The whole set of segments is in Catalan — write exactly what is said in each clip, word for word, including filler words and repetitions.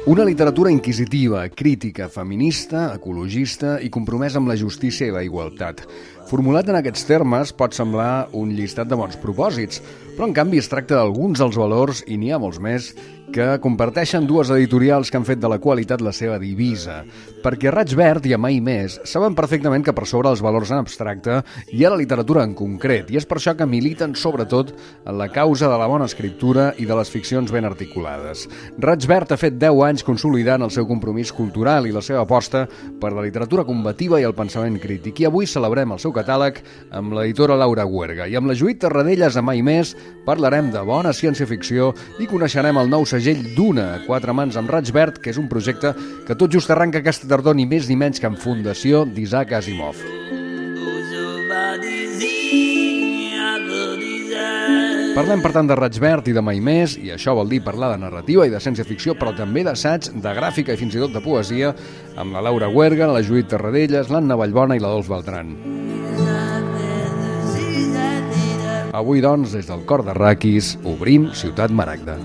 Una literatura inquisitiva, crítica, feminista, ecologista i compromesa amb la justícia i la igualtat. Formulat en aquests termes pot semblar un llistat de bons propòsits, però en canvi es tracta d'alguns dels valors, i n'hi ha molts més, que comparteixen dues editorials que han fet de la qualitat la seva divisa. Perquè a Raig Verd i a Mai Més saben perfectament que per sobre els valors en abstracte hi ha la literatura en concret, i és per això que militen sobretot en la causa de la bona escriptura i de les ficcions ben articulades. Raig Verd ha fet deu anys consolidant el seu compromís cultural i la seva aposta per la literatura combativa i el pensament crític, i avui celebrem el seu catàleg amb l'editora Laura Huerga. I amb la Judit Tarradellas a Mai Més parlarem de bona ciència-ficció i coneixerem el nou segell d'Una a quatre mans amb Raig Verd, que és un projecte que tot just arranca aquesta tardor ni més ni menys que en fundació d'Isaac Asimov. Parlem, per tant, de Raig Verd i de Mai Més, i això vol dir parlar de narrativa i de ciència-ficció, però també d'assaig, de gràfica i fins i tot de poesia, amb la Laura Huerga, la Judit Tarradellas, l'Anna Vallbona i la Dols Beltran. Avui, doncs, des del cor de Raquis, obrim Ciutat Maragda.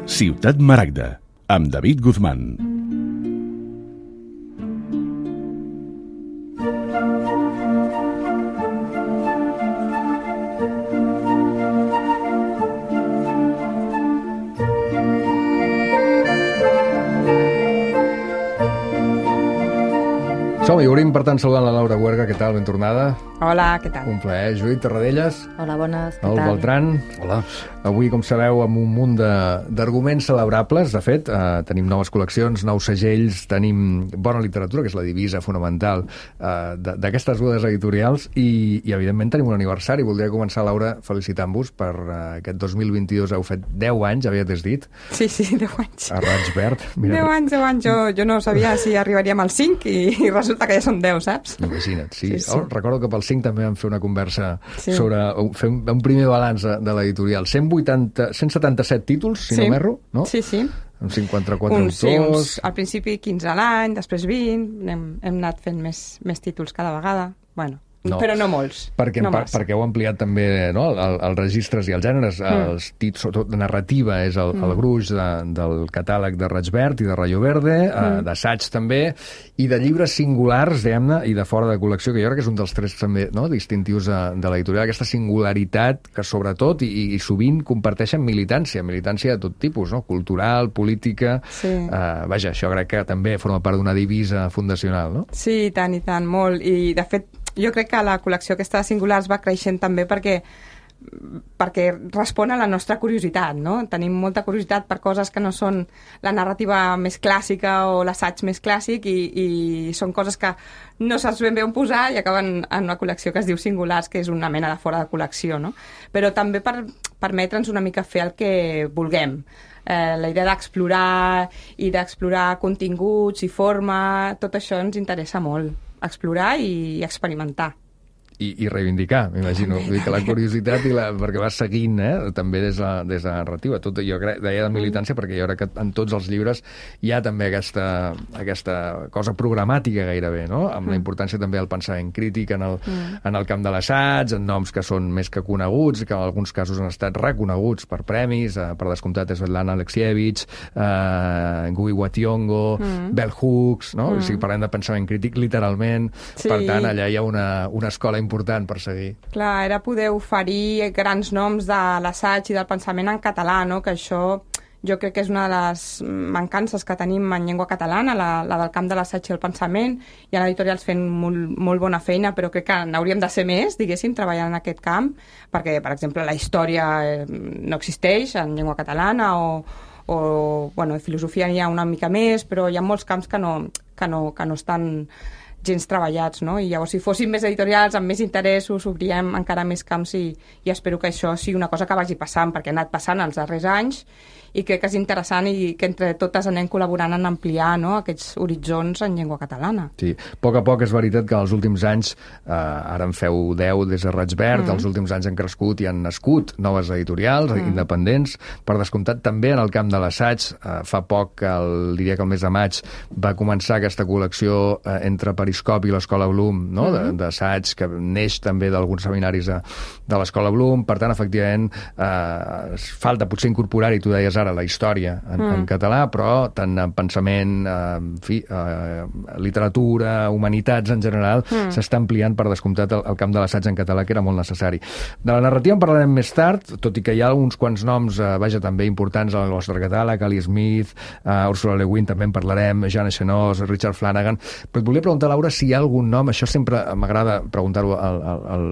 Ciutat Maragda, amb David Guzmán. Som-hi, obrim, per tant, saludant la Laura Huerga. Què tal? Ben tornada. Hola, què tal? Un plaer. Judit Tarradellas. Hola, bones, què El tal? Beltran. Hola. Avui, com sabeu, amb un munt d'arguments celebrables, de fet. Eh, tenim noves col·leccions, nous segells, tenim bona literatura, que és la divisa fonamental eh, d'aquestes dues editorials, i, i, evidentment, tenim un aniversari. Voldria començar, Laura, felicitant-vos per eh, aquest dos mil vint-i-dos. Heu fet deu anys, havies dit. Sí, sí, deu anys. A Raig Verd. Mira, deu anys, deu anys. Jo, jo no sabia si arribaríem als cinc i, i resulta que ja són deu, saps? Imagina't, sí. Sí, sí. Oh, recordo que pel cinc també vam fer una conversa sí. sobre fer un, un primer balanç de l'editorial. cent vuitanta, cent setanta-set títols, si sí. no m'erro, no? Sí, sí. Amb cinquanta-quatre uns, autors. Sí, uns, al principi quinze a l'any, després vint, hem, hem anat fent més, més títols cada vegada. Bueno, no. Però no molts. Perquè, no per, perquè heu ampliat també, no, el, els registres i els gèneres. Mm. Els títols, sobretot de narrativa, és el, mm. el gruix de, del catàleg de Raig Verd i de Rayo Verde, mm. eh, d'assaig també, i de llibres singulars, diguem-ne, i de fora de col·lecció, que jo crec que és un dels tres també, no, distintius de, de l'editorial, aquesta singularitat que sobretot i, i sovint comparteixen militància, militància de tot tipus, no? Cultural, política... Sí. Eh, vaja, això crec que també forma part d'una divisa fundacional, no? Sí, i tant, i tant, molt. I, de fet, jo crec que la col·lecció aquesta de singulars va creixent també perquè perquè respon a la nostra curiositat, no? Tenim molta curiositat per coses que no són la narrativa més clàssica o l'assaig més clàssic i, i són coses que no saps ben bé on posar i acaben en una col·lecció que es diu Singulars, que és una mena de fora de col·lecció, no? Però també per permetre'ns una mica fer el que vulguem. Eh, la idea d'explorar i d'explorar continguts i forma, tot això ens interessa molt. Explorar i experimentar. I, i reivindicar, m'imagino. Vull dir que la curiositat, i la, perquè vas seguint, eh, també des de, des de la narrativa. Tot, jo crec, deia de militància, perquè jo crec que en tots els llibres hi ha també aquesta, aquesta cosa programàtica gairebé, no? Amb la importància també del pensament crític en el, mm. en el camp de l'assaig, en noms que són més que coneguts, que en alguns casos han estat reconeguts per premis, eh, per descomptat Svetlana Alexievich, eh, Guy Wationgo, mm. Bell Hooks, no? Mm. O sigui, parlem de pensament crític literalment. Sí. Per tant, allà hi ha una, una escola important per seguir. Clar, era poder oferir grans noms de l'assaig i del pensament en català, no? Que això jo crec que és una de les mancances que tenim en llengua catalana, la, la del camp de l'assaig i el pensament. Hi ha editorials fent molt, molt bona feina, però crec que n'hauríem de ser més, diguéssim, treballant en aquest camp, perquè, per exemple, la història no existeix en llengua catalana o, o bueno, de filosofia n'hi ha una mica més, però hi ha molts camps que no, que no, que no estan gens treballats, no? I llavors, si fossin més editorials, amb més interessos, obríem encara més camps i, i espero que això sigui una cosa que vagi passant, perquè ha anat passant els darrers anys i crec que és interessant i que entre totes anem col·laborant en ampliar, no, aquests horitzons en llengua catalana. Sí, a poc a poc és veritat que els últims anys, eh, ara en feu deu des de Raig Verd, mm. els últims anys han crescut i han nascut noves editorials mm. independents, per descomptat també en el camp de l'assaig. Eh, fa poc, el, diria que el mes de maig, va començar aquesta col·lecció eh, entre Periscopi i l'Escola Bloom, no? Mm-hmm. d'assaig, que neix també d'alguns seminaris de, de l'Escola Bloom. Per tant, efectivament, eh, falta potser incorporar-hi, tu deies ara, la història en, mm. en català, però tant en pensament, eh, en fi, eh, literatura, humanitats en general, mm. s'està ampliant per descomptat el, el camp de l'assaig en català, que era molt necessari. De la narrativa en parlarem més tard, tot i que hi ha uns quants noms, eh, vaja, també importants al nostre catàleg, Ali Smith, eh, Ursula Le Guin, també en parlarem, Jean Echenós, Richard Flanagan, però et volia preguntar, Laura, si hi ha algun nom, això sempre m'agrada preguntar-ho al, al, al,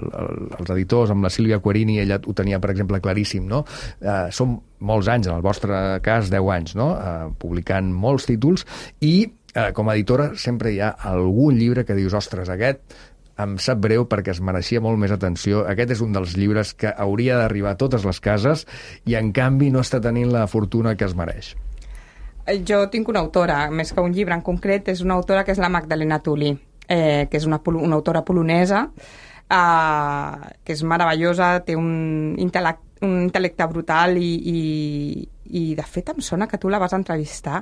als editors, amb la Sílvia Querini, ella ho tenia, per exemple, claríssim, no? Eh, som molts anys, en el vostre cas, deu anys, no? Eh, publicant molts títols, i eh, com a editora sempre hi ha algun llibre que dius, ostres, aquest em sap greu perquè es mereixia molt més atenció. Aquest és un dels llibres que hauria d'arribar a totes les cases i, en canvi, no està tenint la fortuna que es mereix. Jo tinc una autora, més que un llibre en concret, és una autora que és la Magdalena Tully, eh, que és una, una autora polonesa, eh, que és meravellosa, té un intel·lecte un intel·lecte brutal i, i, i de fet em sona que tu la vas entrevistar.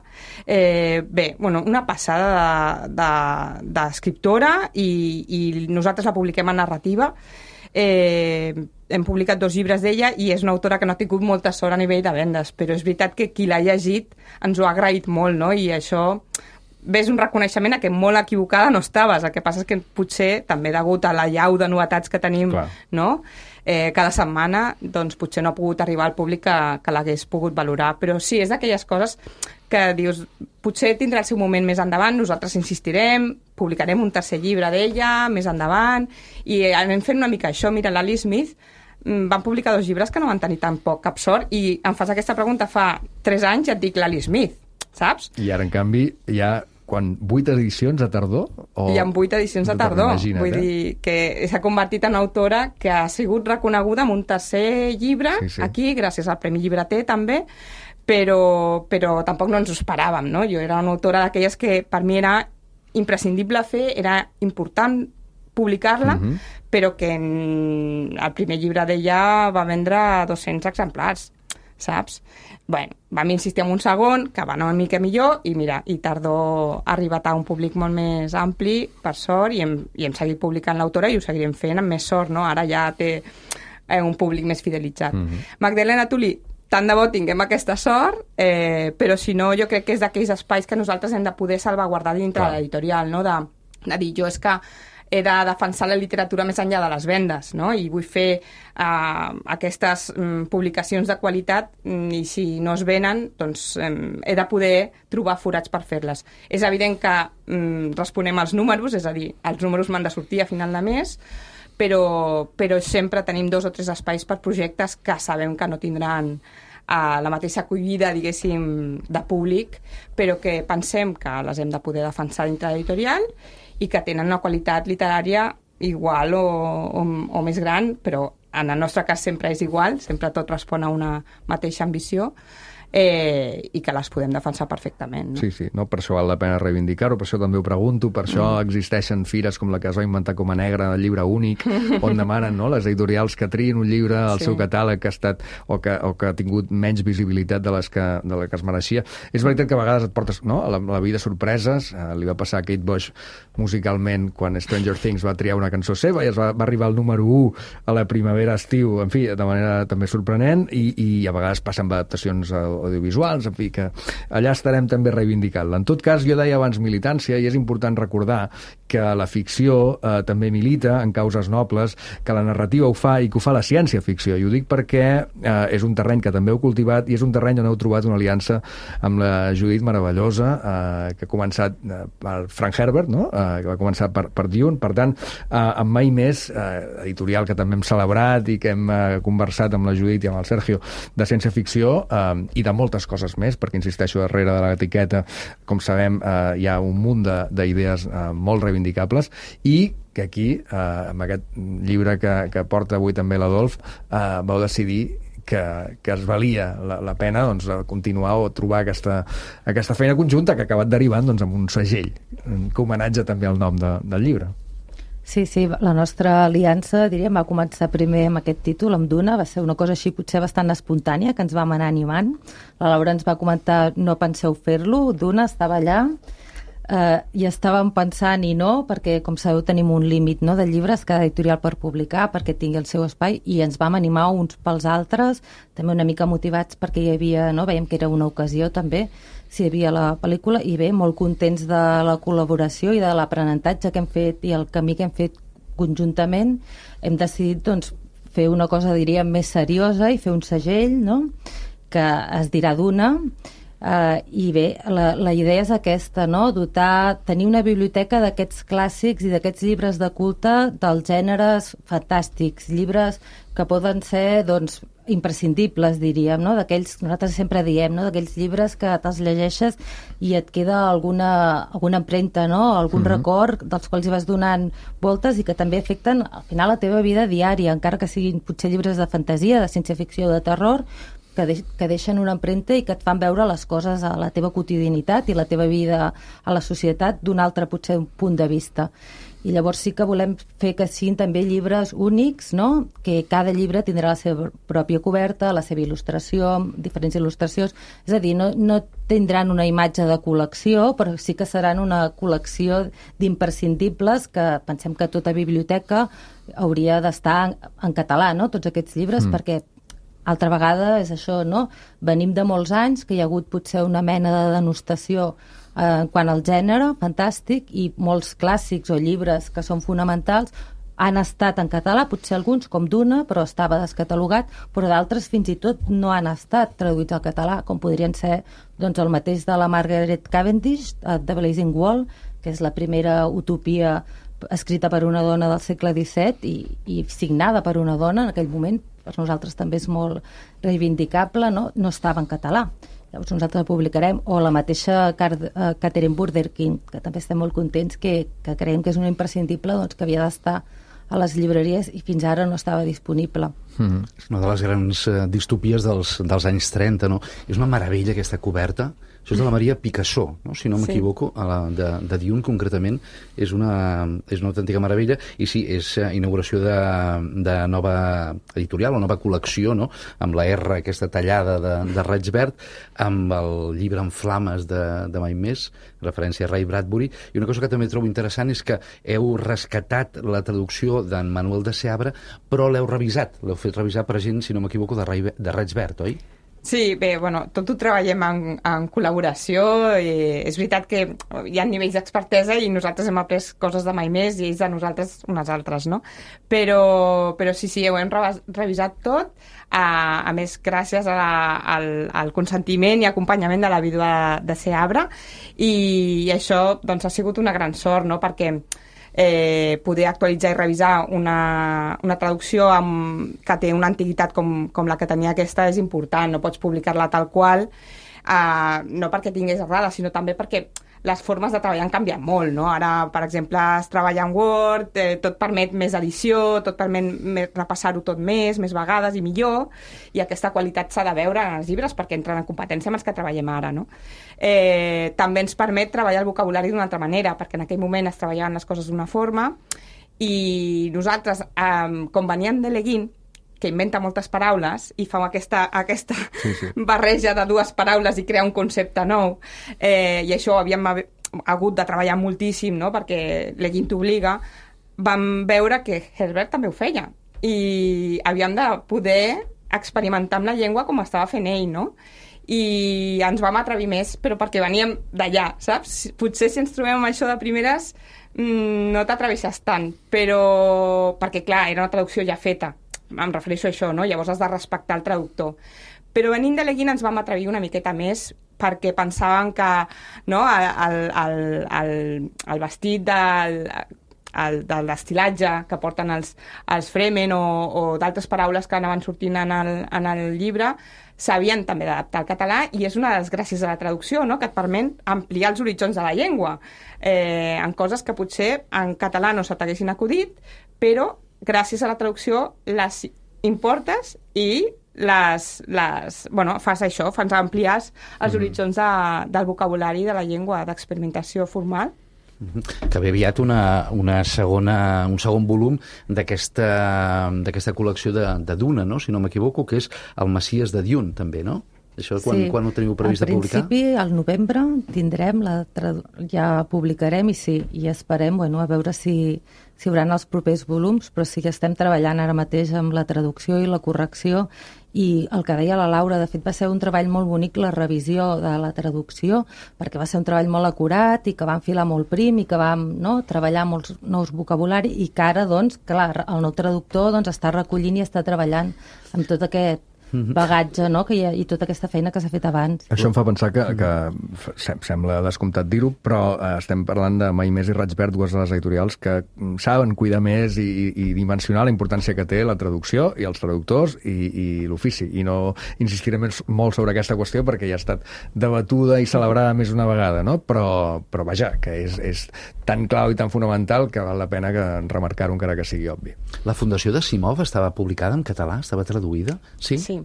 Eh, bé, bueno, una passada d'escriptora de, de, i, i nosaltres la publiquem en narrativa. Eh, hem publicat dos llibres d'ella i és una autora que no ha tingut molta sort a nivell de vendes, però és veritat que qui l'ha llegit ens ho ha agraït molt, no? I això ves un reconeixement a que molt equivocada no estaves. El que passa és que potser, també degut a la llau de novetats que tenim, clar, no? Eh, cada setmana, doncs potser no ha pogut arribar al públic que, que l'hagués pogut valorar. Però sí, és d'aquelles coses que dius, potser tindrà el seu moment més endavant, nosaltres insistirem, publicarem un tercer llibre d'ella més endavant, i anem fent una mica això. Mira, l'Ali Smith van publicar dos llibres que no van tenir tan poc cap sort, i em fas aquesta pregunta fa tres anys i et dic l'Ali Smith, saps? I ara, en canvi, hi ha quan vuit edicions a tardor? O... Hi ha vuit edicions a tardor. Vull eh? dir que s'ha convertit en una autora que ha sigut reconeguda amb un tercer llibre, sí, sí, aquí, gràcies al Premi Llibreter també, però, però tampoc no ens ho esperàvem, no? Jo era una autora d'aquelles que per mi era imprescindible fer, era important publicar-la, uh-huh, però que en el primer llibre d'ella va vendre dos-cents exemplars, saps? Bueno, vam insistir en un segon, que va anar una mica millor, i mira, i Tardor ha arribat a un públic molt més ampli, per sort, i hem, i hem seguit publicant l'autora i ho seguirem fent amb més sort, no? Ara ja té eh, un públic més fidelitzat. Mm-hmm. Magdalena Tully, tant de bo tinguem aquesta sort, eh, però si no, jo crec que és d'aquells espais que nosaltres hem de poder salvaguardar dintre Clar. de l'editorial, no? De, de dir, jo és que he de defensar la literatura més enllà de les vendes, no? I vull fer uh, aquestes um, publicacions de qualitat, um, i si no es venen, doncs um, he de poder trobar forats per fer-les. És evident que um, responem als números, és a dir, els números m'han de sortir a final de mes, però, però sempre tenim dos o tres espais per projectes que sabem que no tindran a la mateixa acollida, diguéssim, de públic, però que pensem que les hem de poder defensar dintre l'editorial i que tenen una qualitat literària igual o, o, o més gran, però en el nostre cas sempre és igual, sempre tot respon a una mateixa ambició, eh, i que les podem defensar perfectament. No? Sí, sí, no? Per això val la pena reivindicar-ho, per això també ho pregunto, per això mm. existeixen fires com la que es va inventar com a Negra, el llibre únic, on demanen, no?, les editorials que triïn un llibre al sí. seu catàleg que ha estat, o que, o que ha tingut menys visibilitat de les que, de la que es mereixia. És veritat que a vegades et portes, no?, a la, a la vida sorpreses, eh, li va passar a Kate Bush musicalment quan Stranger Things va triar una cançó seva i es va, va arribar al número u a la primavera-estiu, en fi, de manera també sorprenent, i, i a vegades passen adaptacions audiovisuals, en fi, que allà estarem també reivindicant-la. En tot cas, jo deia abans militància, i és important recordar que la ficció eh, també milita en causes nobles, que la narrativa ho fa i que ho fa la ciència-ficció. I ho dic perquè eh, és un terreny que també heu cultivat i és un terreny on heu trobat una aliança amb la Judit meravellosa, eh, que ha començat eh, per Frank Herbert, no?, eh, que va començar per, per Dune. Per tant, eh, amb Mai Més, eh, editorial que també hem celebrat i que hem eh, conversat amb la Judit i amb el Sergio de ciència-ficció, eh, i de moltes coses més, perquè, insisteixo, darrere de l'etiqueta, com sabem, eh, hi ha un munt d'idees eh, molt reivindicables, i que aquí, eh, amb aquest llibre que, que porta avui també l'Adolf, eh, vau decidir que, que es valia la, la pena doncs, continuar o trobar aquesta, aquesta feina conjunta que ha acabat derivant doncs, amb un segell, que homenatge també al nom de, del llibre. Sí, sí, la nostra aliança, diríem, va començar primer amb aquest títol, amb Duna, va ser una cosa així potser bastant espontània, que ens vam anar animant. La Laura ens va comentar, no penseu fer-lo, Duna estava allà, eh, i estàvem pensant i no, perquè com sabeu tenim un límit, no, de llibres cada editorial per publicar, perquè tingui el seu espai, i ens vam animar uns pels altres, també una mica motivats perquè hi havia, no, veiem que era una ocasió també, si hi havia la pel·lícula, i bé, molt contents de la col·laboració i de l'aprenentatge que hem fet i el camí que hem fet conjuntament. Hem decidit, doncs, fer una cosa, diríem, més seriosa i fer un segell, no?, que es dirà Duna, uh, i bé, la, la idea és aquesta, no?, dotar, tenir una biblioteca d'aquests clàssics i d'aquests llibres de culte dels gèneres fantàstics, llibres que poden ser, doncs, imprescindibles, diríem, no?, d'aquells, nosaltres sempre diem, no?, d'aquells llibres que te'ls llegeixes i et queda alguna, alguna empremta, no?, algun mm-hmm. record dels quals hi vas donant voltes i que també afecten, al final, la teva vida diària, encara que siguin potser llibres de fantasia, de ciència-ficció, de terror, que, de, que deixen una empremta i que et fan veure les coses a la teva quotidianitat i la teva vida a la societat d'un altre, potser, un punt de vista. I llavors sí que volem fer que siguin també llibres únics, no?, que cada llibre tindrà la seva pròpia coberta, la seva il·lustració, diferents il·lustracions, és a dir, no, no tindran una imatge de col·lecció, però sí que seran una col·lecció d'imprescindibles que pensem que tota biblioteca hauria d'estar en, en català, no?, tots aquests llibres, mm. perquè altra vegada és això, no?, venim de molts anys que hi ha hagut potser una mena de denostació eh, quant al gènere, fantàstic, i molts clàssics o llibres que són fonamentals han estat en català, potser alguns com Duna, però estava descatalogat, però d'altres fins i tot no han estat traduïts al català, com podrien ser, doncs, el mateix de la Margaret Cavendish, The Blazing Wall, que és la primera utopia escrita per una dona del segle disset i, i signada per una dona en aquell moment, per nosaltres també és molt reivindicable, no, no estava en català. Llavors nosaltres la publicarem, o la mateixa Catherine Burderkin, que també estem molt contents, que, que creiem que és una imprescindible, doncs, que havia d'estar a les llibreries i fins ara no estava disponible. Mm-hmm. És una de les grans uh, distopies dels, dels anys trenta, no? És una meravella aquesta coberta. Això és de la Maria Picassó, no?, si no m'equivoco, sí. de, de Dune concretament. És una, és una autèntica meravella. I sí, és inauguració de, de nova editorial o nova col·lecció, no?, amb la R aquesta tallada de, de raig verd, amb el llibre en flames de, de mai més, referència a Ray Bradbury. I una cosa que també trobo interessant és que heu rescatat la traducció d'en Manuel de Seabra, però l'heu revisat. L'heu fet revisar per gent, si no m'equivoco, de, Ray, de raig verd, oi? Sí, bé, bueno, tot ho treballem en, en col·laboració, i és veritat que hi ha nivells d'expertesa i nosaltres hem après coses de mai més i ells de nosaltres unes altres, no? Però, però sí, sí, ho hem revisat tot, a, a més gràcies a la, al, al consentiment i acompanyament de la vídua de Seabra, i, i això, doncs, ha sigut una gran sort, no?, perquè Eh, poder actualitzar i revisar una, una traducció amb, que té una antiguitat com, com la que tenia aquesta és important, no pots publicar-la tal qual, eh, no perquè tingués errada, sinó també perquè les formes de treballar han canviat molt, no? Ara, per exemple, es treballa en Word, eh, tot permet més edició, tot permet més, repassar-ho tot més, més vegades i millor, i aquesta qualitat s'ha de veure en els llibres perquè entren en competència amb els que treballem ara, no? Eh, també ens permet treballar el vocabulari d'una altra manera, perquè en aquell moment es treballaven les coses d'una forma, i nosaltres, eh, com veníem de Leguin, que inventa moltes paraules i fa aquesta, aquesta sí, sí. barreja de dues paraules i crea un concepte nou, eh, i això havíem hagut de treballar moltíssim, no?, perquè Leguin t'obliga. Vam veure que Herbert també ho feia i havíem de poder experimentar amb la llengua com estava fent ell, no? I ens vam atrevir més, però perquè veníem d'allà, saps? Potser si ens trobem amb això de primeres mmm, no t'atreveixes tant, però perquè, clar, era una traducció ja feta, em refereixo a això, no? Llavors has de respectar el traductor. Però venint de Leguin ens vam atrevir una miqueta més perquè pensaven que, no, el, el, el, el vestit del, el, de l'estilatge que porten els, els Fremen o, o d'altres paraules que anaven sortint en el, en el llibre s'havien també d'adaptar al català, i és una de les gràcies a la traducció, no?, que et permet ampliar els horitzons de la llengua eh, en coses que potser en català no se t'haguessin acudit, però gràcies a la traducció les importes i les, les, bueno, fas això, fas ampliar els mm. horitzons de, del vocabulari de la llengua, d'experimentació formal. Mm-hmm. Que ve aviat una, una segona, un segon volum d'aquesta d'aquesta col·lecció de, de Duna, no?, si no m'equivoco, que és el Messies de Dune, també, no? Això quan, sí. quan ho teniu previst de publicar? Al principi, al novembre, tindrem, la tradu... ja publicarem i sí, i esperem, bueno, a veure si, si hi haurà els propers volums, però sí que estem treballant ara mateix amb la traducció i la correcció, i el que deia la Laura, de fet va ser un treball molt bonic la revisió de la traducció, perquè va ser un treball molt acurat i que vam filar molt prim i que vam, no, treballar molts nous vocabulari i que ara, doncs, clar, el nou traductor doncs, està recollint i està treballant amb tot aquest bagatge, no?, que hi ha, i tota aquesta feina que s'ha fet abans. Això em fa pensar que, que sembla descomptat dir-ho, però eh, estem parlant de Mai Més i Raig Verd, dues de les editorials que saben cuidar més i, i dimensionar la importància que té la traducció i els traductors i, i l'ofici. I no insistiré més molt sobre aquesta qüestió perquè ja ha estat debatuda i celebrada més una vegada, no? Però, però vaja, que és, és tan clau i tan fonamental que val la pena que remarcar-ho encara que sigui obvi. La Fundació de Simov estava publicada en català? Estava traduïda? Sí? Sí.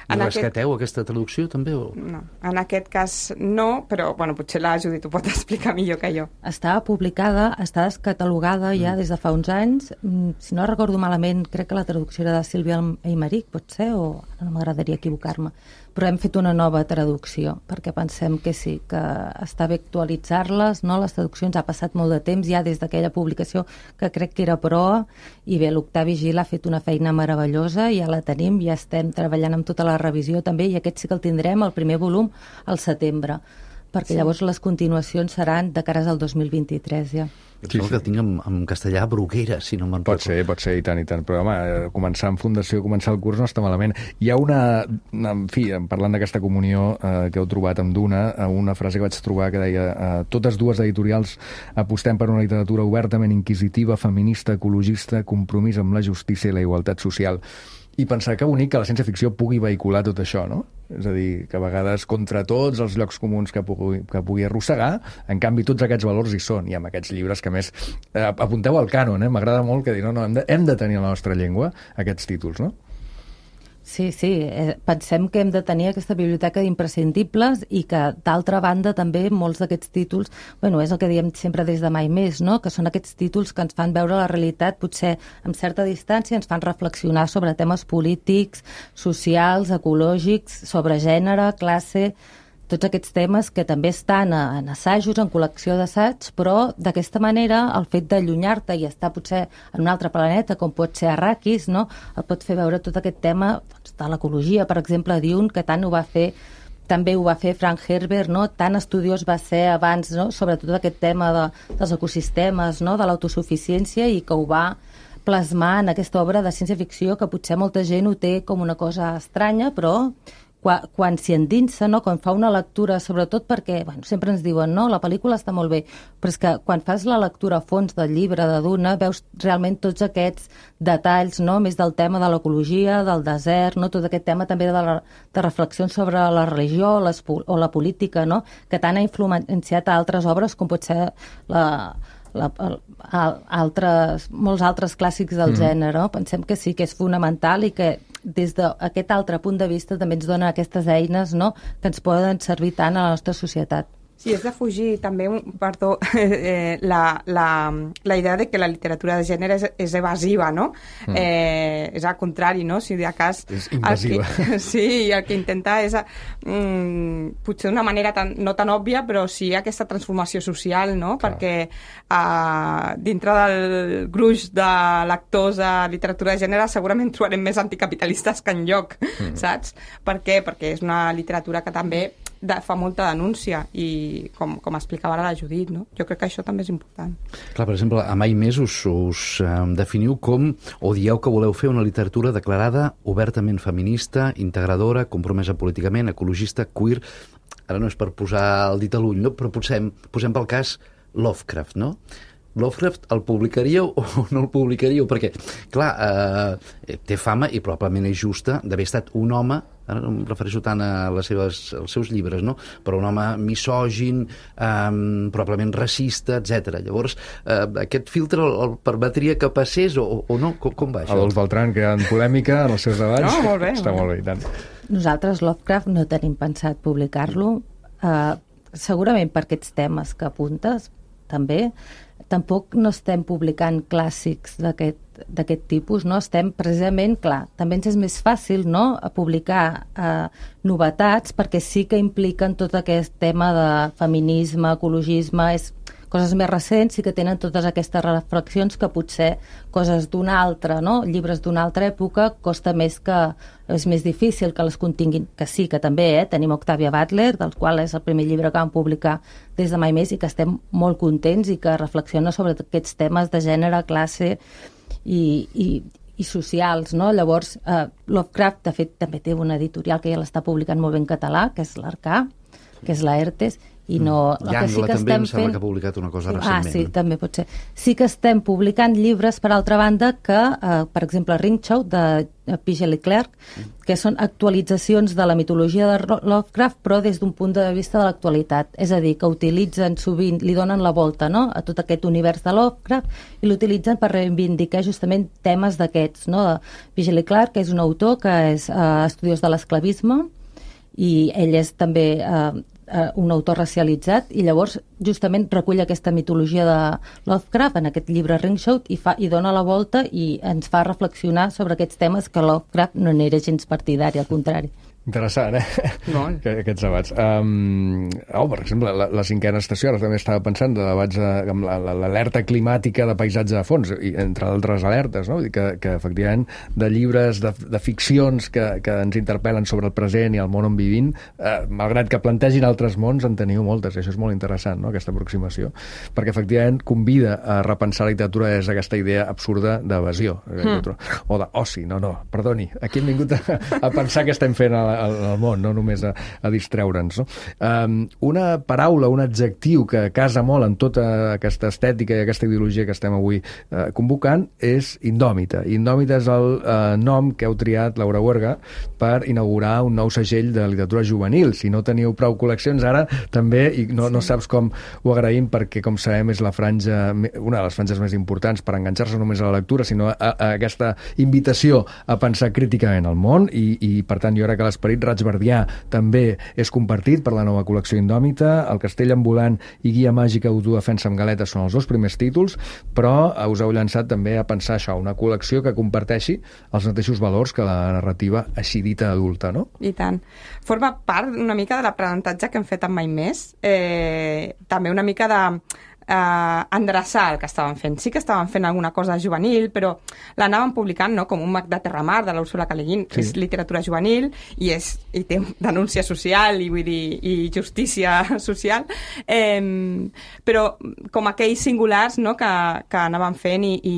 I rescateu aquest... aquesta traducció també? O... No, en aquest cas no, però bueno, potser la Judit ho pot explicar millor que jo. Estava publicada, està descatalogada ja mm. des de fa uns anys. Si no recordo malament, crec que la traducció era de Sílvia Aymeric, pot ser, o no m'agradaria equivocar-me. Però hem fet una nova traducció, perquè pensem que sí, que està bé actualitzar-les, no? Les traduccions ha passat molt de temps, ja des d'aquella publicació que crec que era proa, i bé, l'Octavi Gil ha fet una feina meravellosa, ja la tenim, ja estem treballant amb tota la revisió també, i aquest sí que el tindrem, el primer volum, al setembre, perquè sí. Llavors les continuacions seran de cares al dos mil vint-i-tres ja. Sí, sí. Que el tinc en, en castellà, Bruguera, si no me'n pot ser, pot ser, i tant, i tant. Però, home, començar en fundació, començar el curs no està malament. Hi ha una, en fi, parlant d'aquesta comunió eh, que heu trobat amb Duna, una frase que vaig trobar que deia eh, totes dues editorials apostem per una literatura obertament inquisitiva, feminista, ecologista, compromís amb la justícia i la igualtat social. I pensar que bonic que la ciència-ficció pugui vehicular tot això, no? És a dir, que a vegades contra tots els llocs comuns que pugui, que pugui arrossegar, en canvi tots aquests valors hi són, i amb aquests llibres que més eh, apunteu al cànon, eh? M'agrada molt que dir, no, no, hem de, hem de tenir a la nostra llengua aquests títols, no? Sí, sí, eh, pensem que hem de tenir aquesta biblioteca d'imprescindibles i que, d'altra banda, també molts d'aquests títols, bueno, és el que diem sempre des de Mai Més, no?, que són aquests títols que ens fan veure la realitat potser amb certa distància, ens fan reflexionar sobre temes polítics, socials, ecològics, sobre gènere, classe, tots aquests temes que també estan en assajos, en col·lecció d'assaigs, però d'aquesta manera el fet d'allunyar-te i estar potser en un altre planeta, com pot ser Arrakis, no?, et pot fer veure tot aquest tema doncs, de l'ecologia, per exemple, Dune, que tant ho va fer, també ho va fer Frank Herbert, no?, tan estudiós va ser abans, no?, sobretot aquest tema de, dels ecosistemes, no?, de l'autosuficiència, i que ho va plasmar en aquesta obra de ciència-ficció que potser molta gent ho té com una cosa estranya, però quan, quan s'hi endinsa, no? Quan fa una lectura, sobretot perquè bueno, sempre ens diuen no, la pel·lícula està molt bé, però és que quan fas la lectura a fons del llibre de Duna veus realment tots aquests detalls, no? Més del tema de l'ecologia, del desert, no? Tot aquest tema també de, la, de reflexions sobre la religió les, o la política, no? Que tant ha influenciat a altres obres com pot ser la... La, a, altres, molts altres clàssics del mm. gènere. No? Pensem que sí, que és fonamental i que des d'aquest altre punt de vista també ens dona aquestes eines, no? Que ens poden servir tant a la nostra societat. Sí, és de fugir també, perdó, eh, la, la, la idea de que la literatura de gènere és, és evasiva, no? Mm. Eh, és al contrari, no? Si de cas... És invasiva. Que, sí, el que intenta és, mm, potser d'una manera tan, no tan òbvia, però sí aquesta transformació social, no? Clar. Perquè eh, dintre del gruix de lectors de literatura de gènere segurament trobarem més anticapitalistes que enlloc, mm. saps? Per què? Perquè és una literatura que també de, fa molta denúncia i com, com explicava ara la Judit, no? Jo crec que això també és important. Clar, per exemple, a Mai Més us, us um, definiu com, o dieu que voleu fer una literatura declarada obertament feminista, integradora, compromesa políticament, ecologista, queer. Ara no és per posar el dit a l'ull, no? Però posem, posem pel cas Lovecraft, no? Lovecraft el publicaríeu o no el publicaríeu? Perquè, clar, eh, té fama i probablement és justa d'haver estat un home, ara no em refereixo tant a les seves, als seus llibres, no? Però un home misògin, eh, probablement racista, etcètera. Llavors, eh, aquest filtre el, el permetria que passés o, o no? Com, com va això? Adolf Beltrán creant polèmica en els seus debats. No, molt bé. Està molt bé, i tant. Nosaltres Lovecraft no tenim pensat publicar-lo, eh, segurament per aquests temes que apuntes, també. Tampoc no estem publicant clàssics d'aquest d'aquest tipus, no? Estem precisament, clar, també ens és més fàcil, no?, a publicar eh, novetats, perquè sí que impliquen tot aquest tema de feminisme, ecologisme, és coses més recents, sí que tenen totes aquestes reflexions que potser coses d'una altra, no?, llibres d'una altra època, costa més que, és més difícil que les continguin, que sí, que també, eh? Tenim Octavia Butler, del qual és el primer llibre que vam publicar des de Mai Més i que estem molt contents i que reflexiona sobre aquests temes de gènere, classe i, i, i socials, no? Llavors, eh, Lovecraft, de fet, també té una editorial que ja l'està publicant molt bé en català, que és l'Arcà, que és la ERTES, i no... Mm. Llangla sí també em sembla fent... que ha publicat una cosa recentment. Ah, sí, no? També pot ser. Sí que estem publicant llibres, per altra banda, que, eh, per exemple, Ringchow, de Pigel i Clerc, que són actualitzacions de la mitologia de Lovecraft, però des d'un punt de vista de l'actualitat. És a dir, que utilitzen sovint, li donen la volta, no?, a tot aquest univers de Lovecraft i l'utilitzen per reivindicar justament temes d'aquests, no? Pigel i Clerc, que és un autor que és eh, estudiós de l'esclavisme, i ell és també eh, un autor racialitzat, i llavors justament recull aquesta mitologia de Lovecraft en aquest llibre Ringchow i, fa, i dona la volta i ens fa reflexionar sobre aquests temes que Lovecraft no n'era gens partidari, al contrari. Interessant, eh? No. Aquests debats. Um, oh, per exemple, la, la cinquena estació, ara també estava pensant de debats amb l'alerta climàtica de paisatge de fons, i entre altres alertes, no? Que, que efectivament de llibres, de, de ficcions que, que ens interpel·len sobre el present i el món on vivim, eh, malgrat que plantegin altres mons, en teniu moltes, i això és molt interessant, no?, aquesta aproximació, perquè efectivament convida a repensar la literatura des d'aquesta idea absurda d'evasió, mm. o d'oci, no, no, perdoni, aquí hem vingut a, a pensar què estem fent a la al, al món, no només a, a distreure'ns, no? Um, una paraula, un adjectiu que casa molt en tota aquesta estètica i aquesta ideologia que estem avui uh, convocant és indòmita. Indòmita és el uh, nom que heu triat, Laura Huerga, per inaugurar un nou segell de literatura juvenil. Si no teniu prou col·leccions ara, també, i no, no saps com ho agraïm, perquè, com sabem, és la franja, una de les franges més importants per enganxar-se només a la lectura, sinó a, a aquesta invitació a pensar críticament al món, i, i per tant jo crec que l'esperit raig-verdià també és compartit per la nova col·lecció indòmita. El Castell ambulant i Guia màgica d'autodefensa amb galetes són els dos primers títols, però us heu llançat també a pensar això, una col·lecció que comparteixi els mateixos valors que la narrativa així dita adulta, no? I tant. Forma part una mica de l'aprenentatge que hem fet amb Mai Més, eh, també una mica de eh, endreçar el que estàvem fent. Sí que estàvem fent alguna cosa juvenil, però l'anàvem publicant, no?, com un Mag de Terramar de l'Úrsula K. Le Guin, que sí. És literatura juvenil i, és, i té denúncia social i, vull dir, i justícia social, eh, però com aquells singulars, no?, que, que anàvem fent i, i,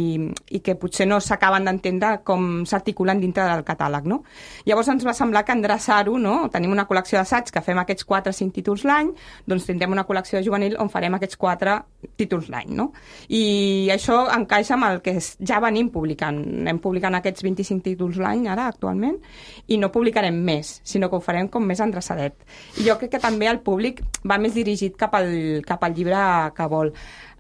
i que potser no s'acaben d'entendre com s'articulen dintre del catàleg, no? Llavors ens va semblar que endreçar-ho, no?, tenim una col·lecció d'assaig que fem aquests quatre o cinc títols l'any, doncs tindrem una col·lecció juvenil on farem aquests quatre títols l'any, no? I això encaixa amb el que ja venim publicant. Anem publicant aquests vint-i-cinc títols l'any, ara, actualment, i no publicarem més, sinó que ho farem com més endreçadet. I jo crec que també el públic va més dirigit cap al, cap al llibre que vol.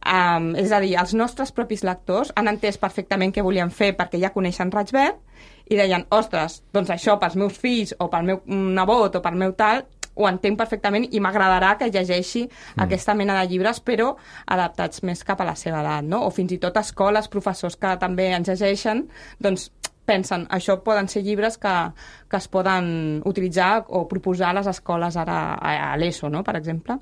Um, és a dir, els nostres propis lectors han entès perfectament què volien fer perquè ja coneixen Raig-Verd i deien, ostres, doncs això pels meus fills o pel meu nebot o pel meu tal, ho entenc perfectament i m'agradarà que llegeixi mm. aquesta mena de llibres, però adaptats més cap a la seva edat, no? O fins i tot escoles, professors que també ens llegeixen, doncs pensen, això poden ser llibres que, que es poden utilitzar o proposar a les escoles ara a, a l'ESO, no?, per exemple.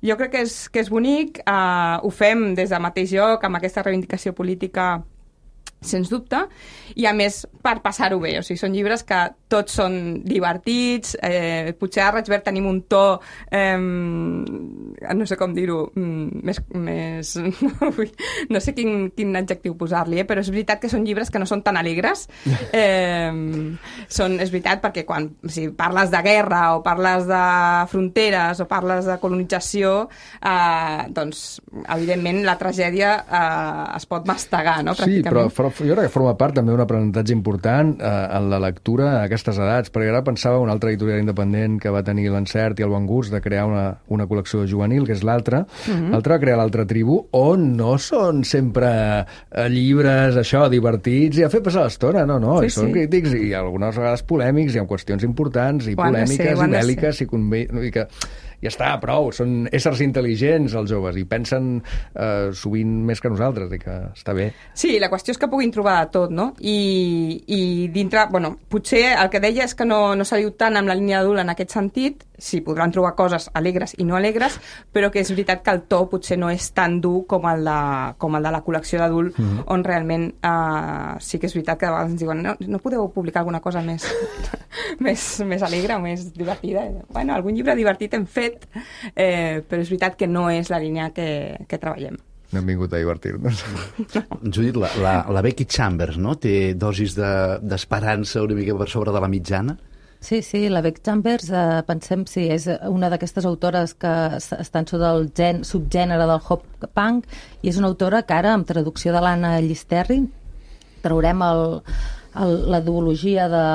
Jo crec que és, que és bonic, eh, ho fem des del mateix lloc, amb aquesta reivindicació política, sens dubte, i a més per passar-ho bé, o sigui, són llibres que tots són divertits, eh, potser a Raig-Verd tenim un to eh, no sé com dir-ho més, més no, no sé quin, quin adjectiu posar-li, eh, però és veritat que són llibres que no són tan alegres, eh, són, és veritat, perquè quan si parles de guerra o parles de fronteres o parles de colonització, eh, doncs evidentment la tragèdia eh, es pot mastegar, no? Sí, però jo crec que forma part també d'un aprenentatge important eh, en la lectura a aquestes edats, perquè ara pensava una altra editorial independent que va tenir l'encert i el bon gust de crear una, una col·lecció juvenil, que és l'altra. Mm-hmm. L'altra va crear l'Altra Tribu, on no són sempre eh, llibres, això, divertits i a fer passar l'estona, no, no, sí, i són sí. crítics i algunes vegades polèmics i amb qüestions importants i polèmiques ser, i bèl·liques i, convé, i que ja està, prou, són éssers intel·ligents els joves i pensen eh, sovint més que nosaltres i que està bé. Sí, la qüestió és que puguin trobar de tot, no? I, i dintre, bueno, potser el que deia és que no, no s'ha dit tant amb la línia adult en aquest sentit, sí, podran trobar coses alegres i no alegres, però que és veritat que el to potser no és tan dur com el de, com el de la col·lecció d'adult, mm-hmm. on realment eh, sí que és veritat que de vegades ens diuen no, no podeu publicar alguna cosa més, més, més alegre o més divertida. Bueno, algun llibre divertit hem fet, eh, però és veritat que no és la línia que, que treballem. No hem vingut a divertir-nos. Judit, la, la, la Becky Chambers, no?, té dosis d'esperança de, una mica per sobre de la mitjana? Sí, sí, la Becky Chambers, eh, pensem, sí, és una d'aquestes autores que estan sota el gen, subgènere del hop punk, i és una autora que ara, amb traducció de l'Anna Llisterri, traurem el, el, la duologia de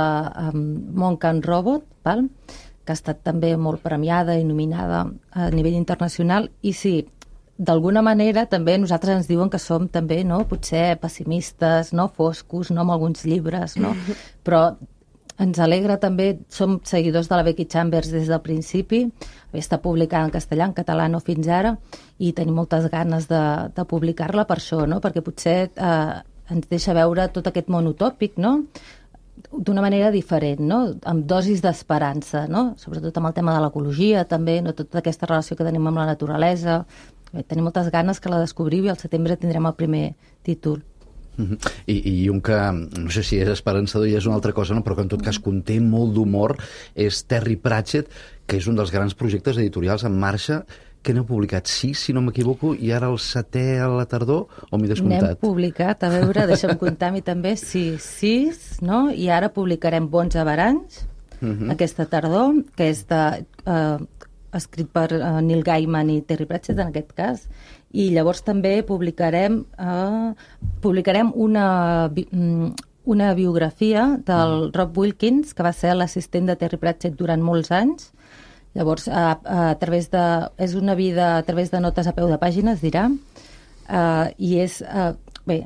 um, Monk and Robot, val? Que ha estat també molt premiada i nominada a nivell internacional, i sí, d'alguna manera també nosaltres ens diuen que som també, no?, potser pessimistes, no?, foscos, no?, amb alguns llibres, no?, però ens alegra també, som seguidors de la Becky Chambers des del principi, està publicada en castellà, en català no fins ara, i tenim moltes ganes de, de publicar-la per això, no?, perquè potser eh, ens deixa veure tot aquest món utòpic, no?, d'una manera diferent, no?, amb dosis d'esperança, no?, sobretot amb el tema de l'ecologia també, no?, tota aquesta relació que tenim amb la naturalesa. Bé, tenim moltes ganes que la descobriu i al setembre tindrem el primer títol. I, i un que, no sé si és esperançador i és una altra cosa, no? Però que en tot cas conté molt d'humor, és Terry Pratchett, que és un dels grans projectes editorials en marxa, que n'heu publicat sis, si no m'equivoco, i ara el setè a la tardor, o m'he descomptat? N'hem publicat, a veure, deixa'm comptar a mi també, sí, sis, no? I ara publicarem Bons Averanys, uh -huh. aquesta tardor, que és de... Eh, escrit per uh, Neil Gaiman i Terry Pratchett, en aquest cas, i llavors també publicarem uh, publicarem una, bi una biografia del Rob Wilkins, que va ser l'assistent de Terry Pratchett durant molts anys. Llavors, a, a, a través de... és una vida a través de notes a peu de pàgina, es dirà, uh, i és... Uh, bé,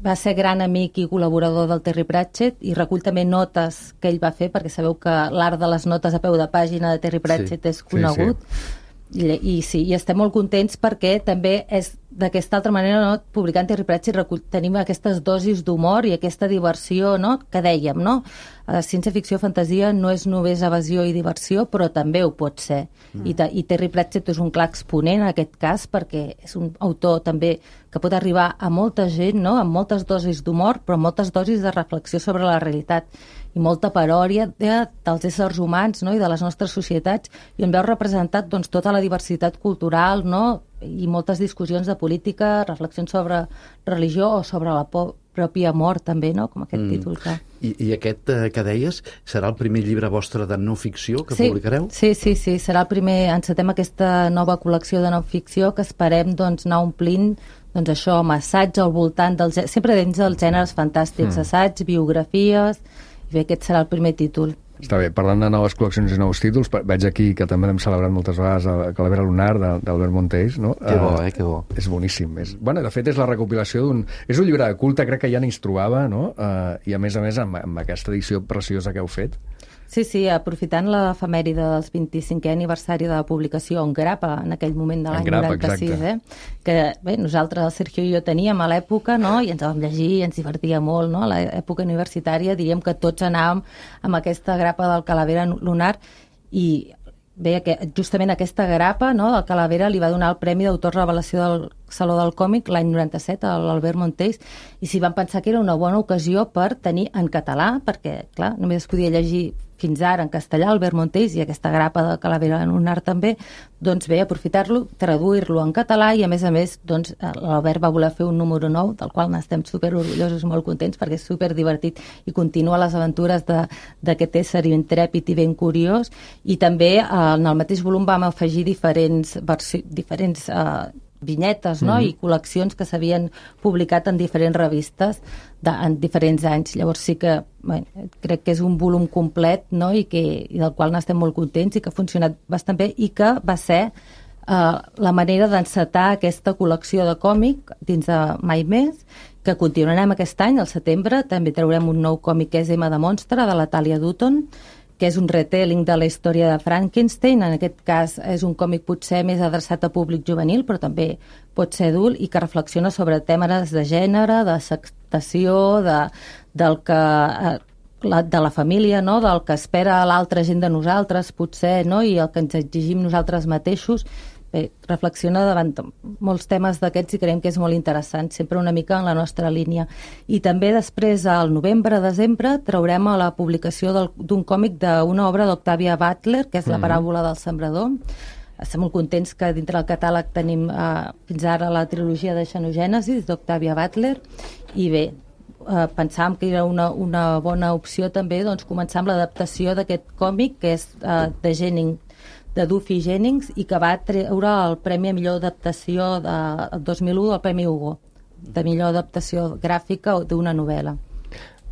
va ser gran amic i col·laborador del Terry Pratchett i recull també notes que ell va fer, perquè sabeu que l'art de les notes a peu de pàgina de Terry Pratchett sí, és conegut. Sí, sí. I, i sí, i estem molt contents perquè també és d'aquesta altra manera, no? Publicant Terry Pratchett recull, tenim aquestes dosis d'humor i aquesta diversió, no?, que dèiem, no? La ciència-ficció, fantasia no és només evasió i diversió, però també ho pot ser. Mm. I, I Terry Pratchett és un clar exponent en aquest cas, perquè és un autor també que pot arribar a molta gent, no?, amb moltes dosis d'humor, però moltes dosis de reflexió sobre la realitat i molta paròdia de, dels éssers humans, no?, i de les nostres societats, i on veu representat, doncs, tota la diversitat cultural, no?, i moltes discussions de política, reflexions sobre religió o sobre la pròpia mort també, no?, com aquest mm. títol que... I, I aquest eh, que deies serà el primer llibre vostre de no ficció que sí, publicareu? Sí, sí, sí, serà el primer, encetem aquesta nova col·lecció de no ficció que esperem, doncs, anar omplint, doncs això, amb assaig al voltant dels... sempre dins dels gèneres fantàstics, mm. assaig, biografies, i bé, aquest serà el primer títol. Està bé, parlant de noves col·leccions i nous títols, veig aquí que també hem celebrat moltes vegades a Calavera Lunar d'Albert Montells, no? Que bo, eh, que bo. Uh, és boníssim. És, bueno, de fet, és la recopilació d'un... És un llibre de culte, crec que ja n'hi es trobava, no? Uh, I a més a més, amb, amb aquesta edició preciosa que heu fet. Sí, sí, aprofitant l'efemèride dels vint-i-cinquè aniversari de la publicació en grapa, en aquell moment de l'any noranta-sis, eh? Que bé, nosaltres, el Sergio i jo teníem a l'època, no?, i ens vam llegir, ens divertia molt, no?, a l'època universitària, diríem que tots anàvem amb aquesta grapa del Calavera Lunar, i bé, que justament aquesta grapa, no?, del Calavera li va donar el Premi d'Autor Revelació del Saló del Còmic l'any noranta-set a l'Albert Montells, i s'hi van pensar que era una bona ocasió per tenir en català, perquè, clar, només es podia llegir fins ara en castellà, Albert Montells, i aquesta grapa de Calavera Lunar també, doncs bé, aprofitar-lo, traduir-lo en català, i a més a més, doncs, l'Albert va voler fer un número nou, del qual n'estem superorgullosos i molt contents, perquè és superdivertit i continua les aventures d'aquest ésser intrèpid i ben curiós, i també en el mateix volum vam afegir diferents, diferents eh, vinyetes, no?, mm-hmm. i col·leccions que s'havien publicat en diferents revistes de, en diferents anys. Llavors sí que bé, crec que és un volum complet, no?, i, que, i del qual n'estem molt contents i que ha funcionat bastant bé i que va ser eh, la manera d'encetar aquesta col·lecció de còmic dins de Mai Més, que continuarem aquest any, al setembre. També traurem un nou còmic que és M de Monstre, de la Tàlia Dutton, que és un retelling de la història de Frankenstein. En aquest cas és un còmic potser més adreçat a públic juvenil, però també pot ser adult, i que reflexiona sobre temes de gènere, de acceptació, de, del que... Eh, La, de la família, no? Del que espera l'altra gent de nosaltres, potser, no? I el que ens exigim nosaltres mateixos. Bé, reflexiona davant molts temes d'aquests i creiem que és molt interessant, sempre una mica en la nostra línia. I també després, al novembre-desembre, traurem a la publicació d'un còmic d'una obra d'Octavia Butler, que és La paràbola del sembrador. Estem molt contents que dintre del catàleg tenim eh, fins ara la trilogia de Xenogènesis d'Octavia Butler, i bé, Uh, pensàvem que era una, una bona opció també doncs, començar amb l'adaptació d'aquest còmic, que és uh, de Jennings, de Duffy Jennings, i que va treure el Premi a millor adaptació de, el dos mil u, el Premi Hugo, de millor adaptació gràfica d'una novel·la.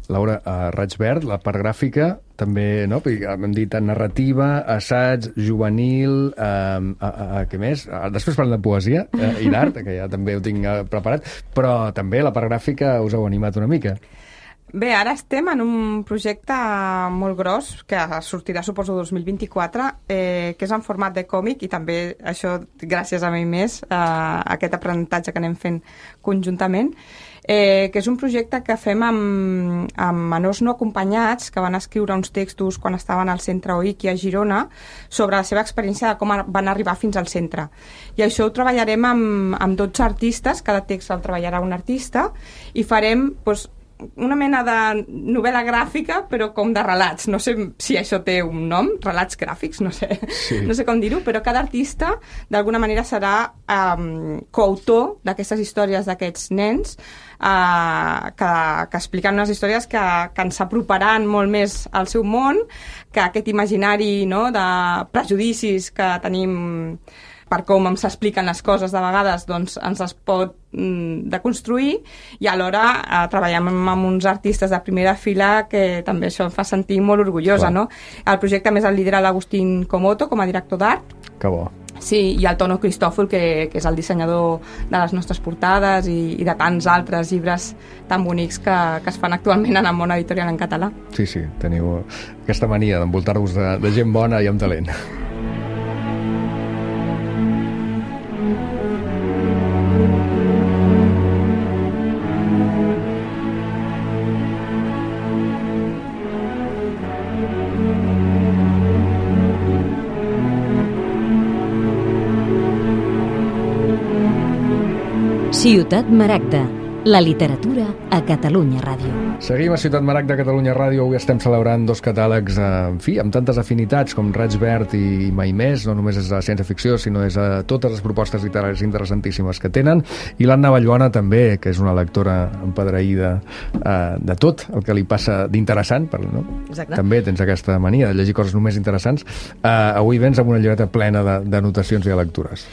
Laura, a Raig Verd, la part gràfica, també, no? Hem dit narrativa, assaig, juvenil, eh, a, a, a, què més? Després parlem de poesia eh, i d'art, que ja també ho tinc eh, preparat, però també la part gràfica us heu animat una mica. Bé, ara estem en un projecte molt gros, que sortirà, suposo, dos mil vint-i-quatre, eh, que és en format de còmic, i també això, gràcies a mi més, eh, aquest aprenentatge que anem fent conjuntament, eh, que és un projecte que fem amb, amb menors no acompanyats, que van escriure uns textos quan estaven al centre O I C I a Girona, sobre la seva experiència de com van arribar fins al centre. I això ho treballarem amb, amb dotze artistes, cada text el treballarà un artista, i farem, doncs, una mena de novel·la gràfica, però com de relats. No sé si això té un nom, relats gràfics, no sé, sí. no sé com dir-ho, però cada artista d'alguna manera serà um, coautor d'aquestes històries d'aquests nens, uh, que, que expliquen unes històries que, que ens aproparan molt més al seu món, que aquest imaginari, no, de prejudicis que tenim per com ens expliquen les coses de vegades, doncs ens es pot mm, deconstruir, i alhora eh, treballem amb, amb uns artistes de primera fila que també això em fa sentir molt orgullosa, no? El projecte més el lidera l'Agustín Comoto com a director d'art. Que bo. Sí, i el Tono Cristòfol, que, que és el dissenyador de les nostres portades i, i de tants altres llibres tan bonics que, que es fan actualment en el món editorial en català. Sí, sí, teniu aquesta mania d'envoltar-vos de, de gent bona i amb talent. Ciutat Maragda, la literatura a Catalunya Ràdio. Seguim a Ciutat Maragda, Catalunya Ràdio. Avui estem celebrant dos catàlegs, eh, en fi, amb tantes afinitats com Raig Verd i Mai Més. No només és a ciència-ficció, sinó és a totes les propostes literàries interessantíssimes que tenen. I l'Anna Vallbona també, que és una lectora empadreïda eh, de tot el que li passa d'interessant. No? També tens aquesta mania de llegir coses només interessants. Eh, avui vens amb una llibreta plena de, de notacions i de lectures.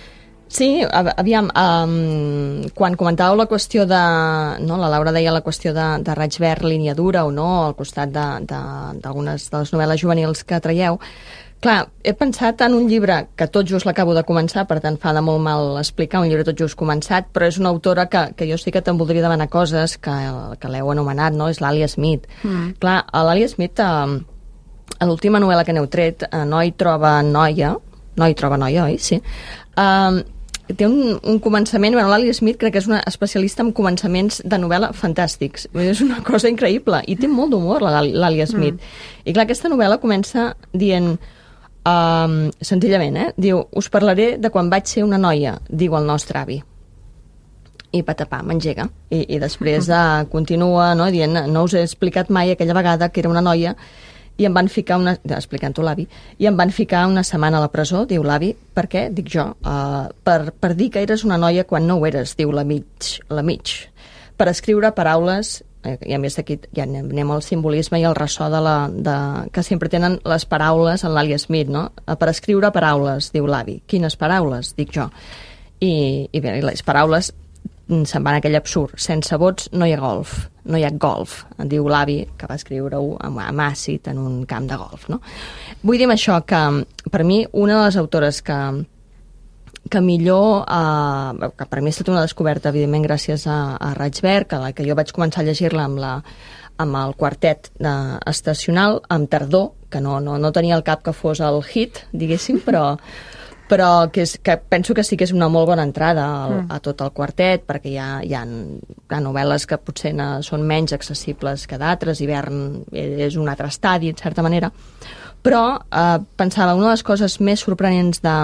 Sí, aviam, um, quan comentàveu la qüestió de... No, la Laura deia la qüestió de, de Raig Verd, línia dura o no, al costat d'algunes de, de, de les novel·les juvenils que traieu. Clar, he pensat en un llibre que tot just l'acabo de començar, per tant fa de molt mal explicar, un llibre tot just començat, però és una autora que, que jo sí que te'n voldria demanar coses, que, que l'heu anomenat, no? És l'Alia Smith. Mm. Clar, l'Alia Smith, eh, a l'última novel·la que n'heu tret, eh, Noi troba noia, Noi troba noia, oi? Sí. Eh, té un, un començament, bueno, l'Alia Smith crec que és una especialista en començaments de novel·la fantàstics, és una cosa increïble, i té molt d'humor l'Alia Smith. Mm. I clar, aquesta novel·la comença dient, um, senzillament, eh? Diu, us parlaré de quan vaig ser una noia, diu el nostre avi. I patapà, m'engega. I, i després uh, continua, no?, dient, no us he explicat mai aquella vegada que era una noia i em van ficar una... explicant-ho l'avi, i em van ficar una setmana a la presó, diu l'avi. Per què? Dic jo. Uh, per, per dir que eres una noia quan no ho eres, diu la mig. La mig. Per escriure paraules, eh, i a més d'aquí ja anem al simbolisme i al ressò de la, de, que sempre tenen les paraules en l'Alia Smith, no? Uh, per escriure paraules, diu l'avi. Quines paraules? Dic jo. I, i bé, les paraules se'n van a aquell absurd. Sense vots no hi ha golf. No hi ha golf, diu l'avi, que va escriure-ho amb àcid en un camp de golf, no? Vull dir amb això que, per mi, una de les autores que, que millor, eh, que per mi ha estat una descoberta, evidentment, gràcies a, a Raig Verd, que, que jo vaig començar a llegir-la amb la, amb el quartet de, estacional, amb Tardor, que no, no, no tenia el cap que fos el hit, diguéssim, però, però que, és, que penso que sí que és una molt bona entrada al, mm. a tot el quartet, perquè hi ha, hi ha, hi ha novel·les que potser no, són menys accessibles que d'altres, Hivern és un altre estadi, en certa manera, però eh, pensava, una de les coses més sorprenents de,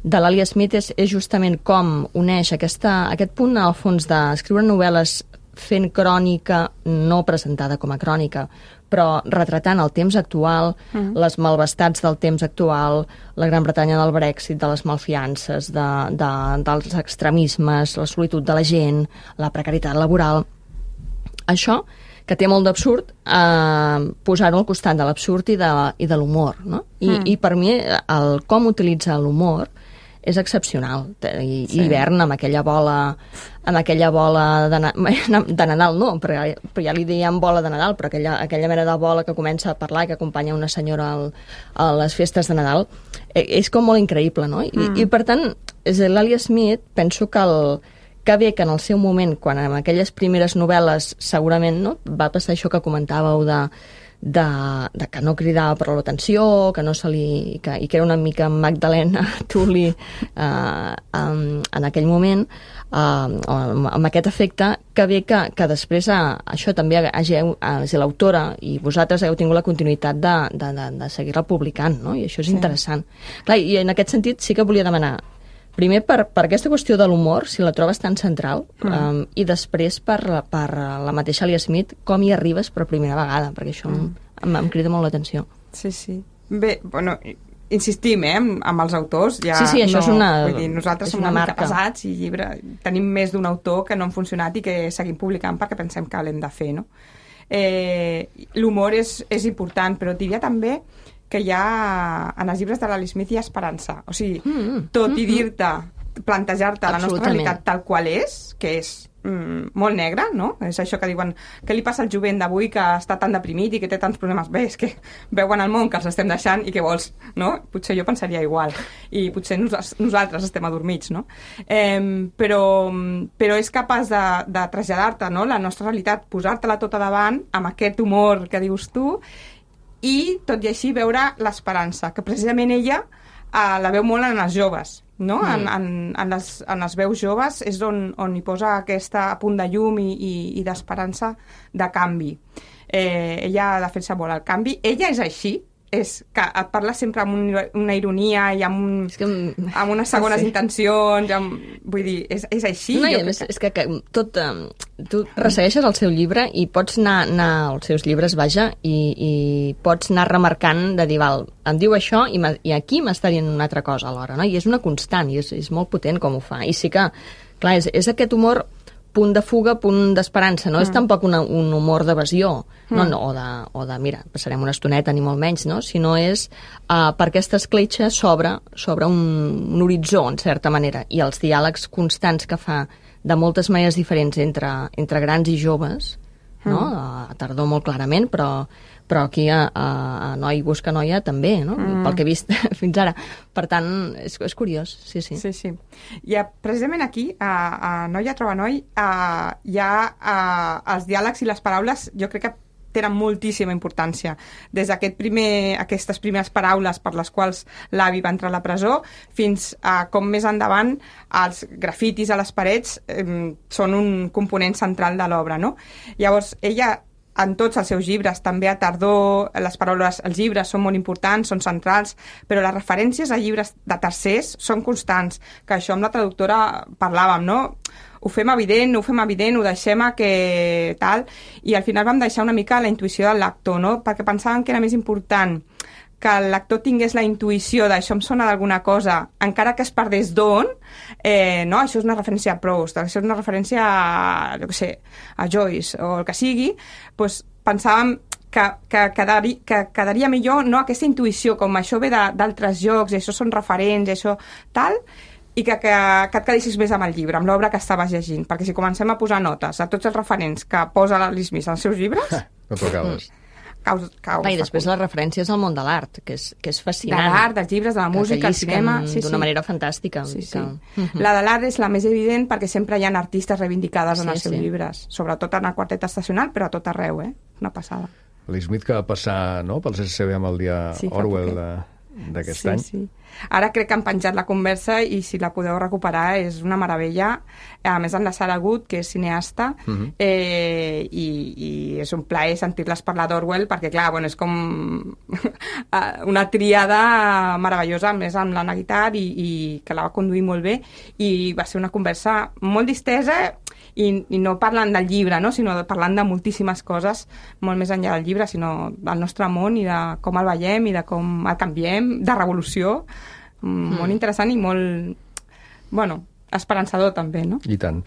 de l'Ali Smith és, és justament com uneix aquesta, aquest punt, al fons, d'escriure novel·les fent crònica, no presentada com a crònica, però retratant el temps actual, mm. les malvestats del temps actual, la Gran Bretanya del Brexit, de les malfiances, de, de, dels extremismes, la solitud de la gent, la precarietat laboral. Això, que té molt d'absurd, eh, posar-ho al costat de l'absurd i de, i de l'humor, no? I, mm. I per mi, el com utilitza l'humor és excepcional. I, sí. Hivern, amb aquella bola, amb aquella bola de, de Nadal, no, però, però ja li diem bola de Nadal, però aquella, aquella mena de bola que comença a parlar i que acompanya una senyora al, a les festes de Nadal, és com molt increïble, no? I, mm. i per tant, l'Ali Smith, penso que el que bé que en el seu moment, quan en aquelles primeres novel·les segurament, no, va passar això que comentàveu de, de, de que no cridava per l'atenció, que no se li, que, i que era una mica Magdalena Tully eh, en, en aquell moment, eh, amb, amb aquest efecte, que bé que, que després eh, això també hàgiu, eh, l'autora i vosaltres heu tingut la continuïtat de, de, de, de seguir-la publicant, no? I això és sí. interessant. Clar, i en aquest sentit sí que volia demanar primer, per, per aquesta qüestió de l'humor, si la trobes tan central, mm. um, i després per, per la mateixa Alia Smith, com hi arribes per primera vegada, perquè això mm. em, em crida molt l'atenció. Sí, sí. Bé, bueno, insistim, eh, amb, amb els autors. Ja sí, sí, això no, és una vull dir, nosaltres som una, una mica pesats i llibre, tenim més d'un autor que no han funcionat i que seguim publicant perquè pensem que l'hem de fer, no? Eh, l'humor és, és important, però diria també que hi ha, en els llibres de l'Ali Smith hi ha esperança. O sigui, mm, tot mm, i dir-te, plantejar-te la nostra realitat tal qual és, que és mm, molt negra, no? És això que diuen, què li passa al jovent d'avui que està tan deprimit i que té tants problemes? Bé, és que veuen el món que els estem deixant i què vols, no? Potser jo pensaria igual. I potser nos, nosaltres estem adormits, no? Eh, però, però és capaç de, de traslladar-te, no?, la nostra realitat, posar-te-la tota davant, amb aquest humor que dius tu, i tot i així veure l'esperança, que precisament ella eh, la veu molt en els joves, no? Mm. En, en, en, les, en les veus joves és on, on hi posa aquesta punt de llum i, i, i d'esperança de canvi. Eh, ella defensa molt el canvi, ella és així, és que et parla sempre amb un, una ironia i amb, un, és que, amb unes segones sí. intencions, amb, vull dir, és, és així. No, jo més, que... és que, que tot, um, tu ressegueixes el seu llibre i pots anar, anar als seus llibres, vaja, i, i pots anar remarcant de dir, val, em diu això i, i aquí m'està dient una altra cosa alhora, no? I és una constant, i és, és molt potent com ho fa. I sí que, clar, és, és aquest humor punt de fuga, punt d'esperança, no mm. és tampoc una, un humor d'evasió, mm. no, no, o, de, o de, mira, passarem una estoneta ni molt menys, no? Sinó és uh, per aquesta escletxa s'obre sobre un, un horitzó, en certa manera, i els diàlegs constants que fa de moltes maneres diferents entre, entre grans i joves, mm. no? A Tardor molt clarament, però però aquí a, a, a Noi busca noia també, no? Mm. Pel que he vist fins ara. Per tant, és, és curiós, sí, sí. Sí, sí. I a, precisament aquí, a, a Noia troba noi, a, hi ha a, els diàlegs i les paraules, jo crec que tenen moltíssima importància. Des d'aquest primer, aquestes primeres paraules per les quals l'avi va entrar a la presó, fins a com més endavant els grafitis a les parets eh, són un component central de l'obra, no? Llavors, ella en tots els seus llibres, també a Tardor, les paraules, els llibres són molt importants, són centrals, però les referències a llibres de tercers són constants, que això amb la traductora parlàvem, no? Ho fem evident, ho fem evident, ho deixem a que tal, i al final vam deixar una mica la intuïció del lector, no? Perquè pensàvem que era més important que el lector tingués la intuïció d'això em sona d'alguna cosa, encara que es perdés d'on, eh, no? Això és una referència a Proust, això és una referència a, jo què sé, a Joyce o el que sigui, doncs pensàvem que, que, quedari, que quedaria millor no aquesta intuïció, com això ve d'altres jocs, i això són referents, i això tal, i que, que, que et quedessis més amb el llibre, amb l'obra que estaves llegint, perquè si comencem a posar notes a tots els referents que posa l'Ali Smith als seus llibres... No t'ho acabes. caus, caus I després les referències al món de l'art, que és, que és fascinant. De l'art, dels llibres, de la música, el cinema... Sí, d'una sí. manera fantàstica. Sí, sí. Que... Uh-huh. La de l'art és la més evident perquè sempre hi ha artistes reivindicades sí, en els seus sí. llibres, sobretot en el quartet estacional, però a tot arreu, eh? Una passada. Lee Smith, que va passar no, pels S C B amb el dia sí, Orwell d'aquest sí, any. Sí. Ara crec que han penjat la conversa i si la podeu recuperar és una meravella. A més, en la Sara Good, que és cineasta, uh-huh. eh, i, i és un plaer sentir-les parlar d'Orwell perquè, clar, bueno, és com una tríada meravellosa, a més amb l'Anna Guitar, i, i que la va conduir molt bé, i va ser una conversa molt distesa i, i no parlant del llibre, no? Sinó parlant de moltíssimes coses, molt més enllà del llibre, sinó del nostre món i de com el veiem i de com el canviem, de revolució, mm. molt interessant i molt, bueno, esperançador també, no? I tant.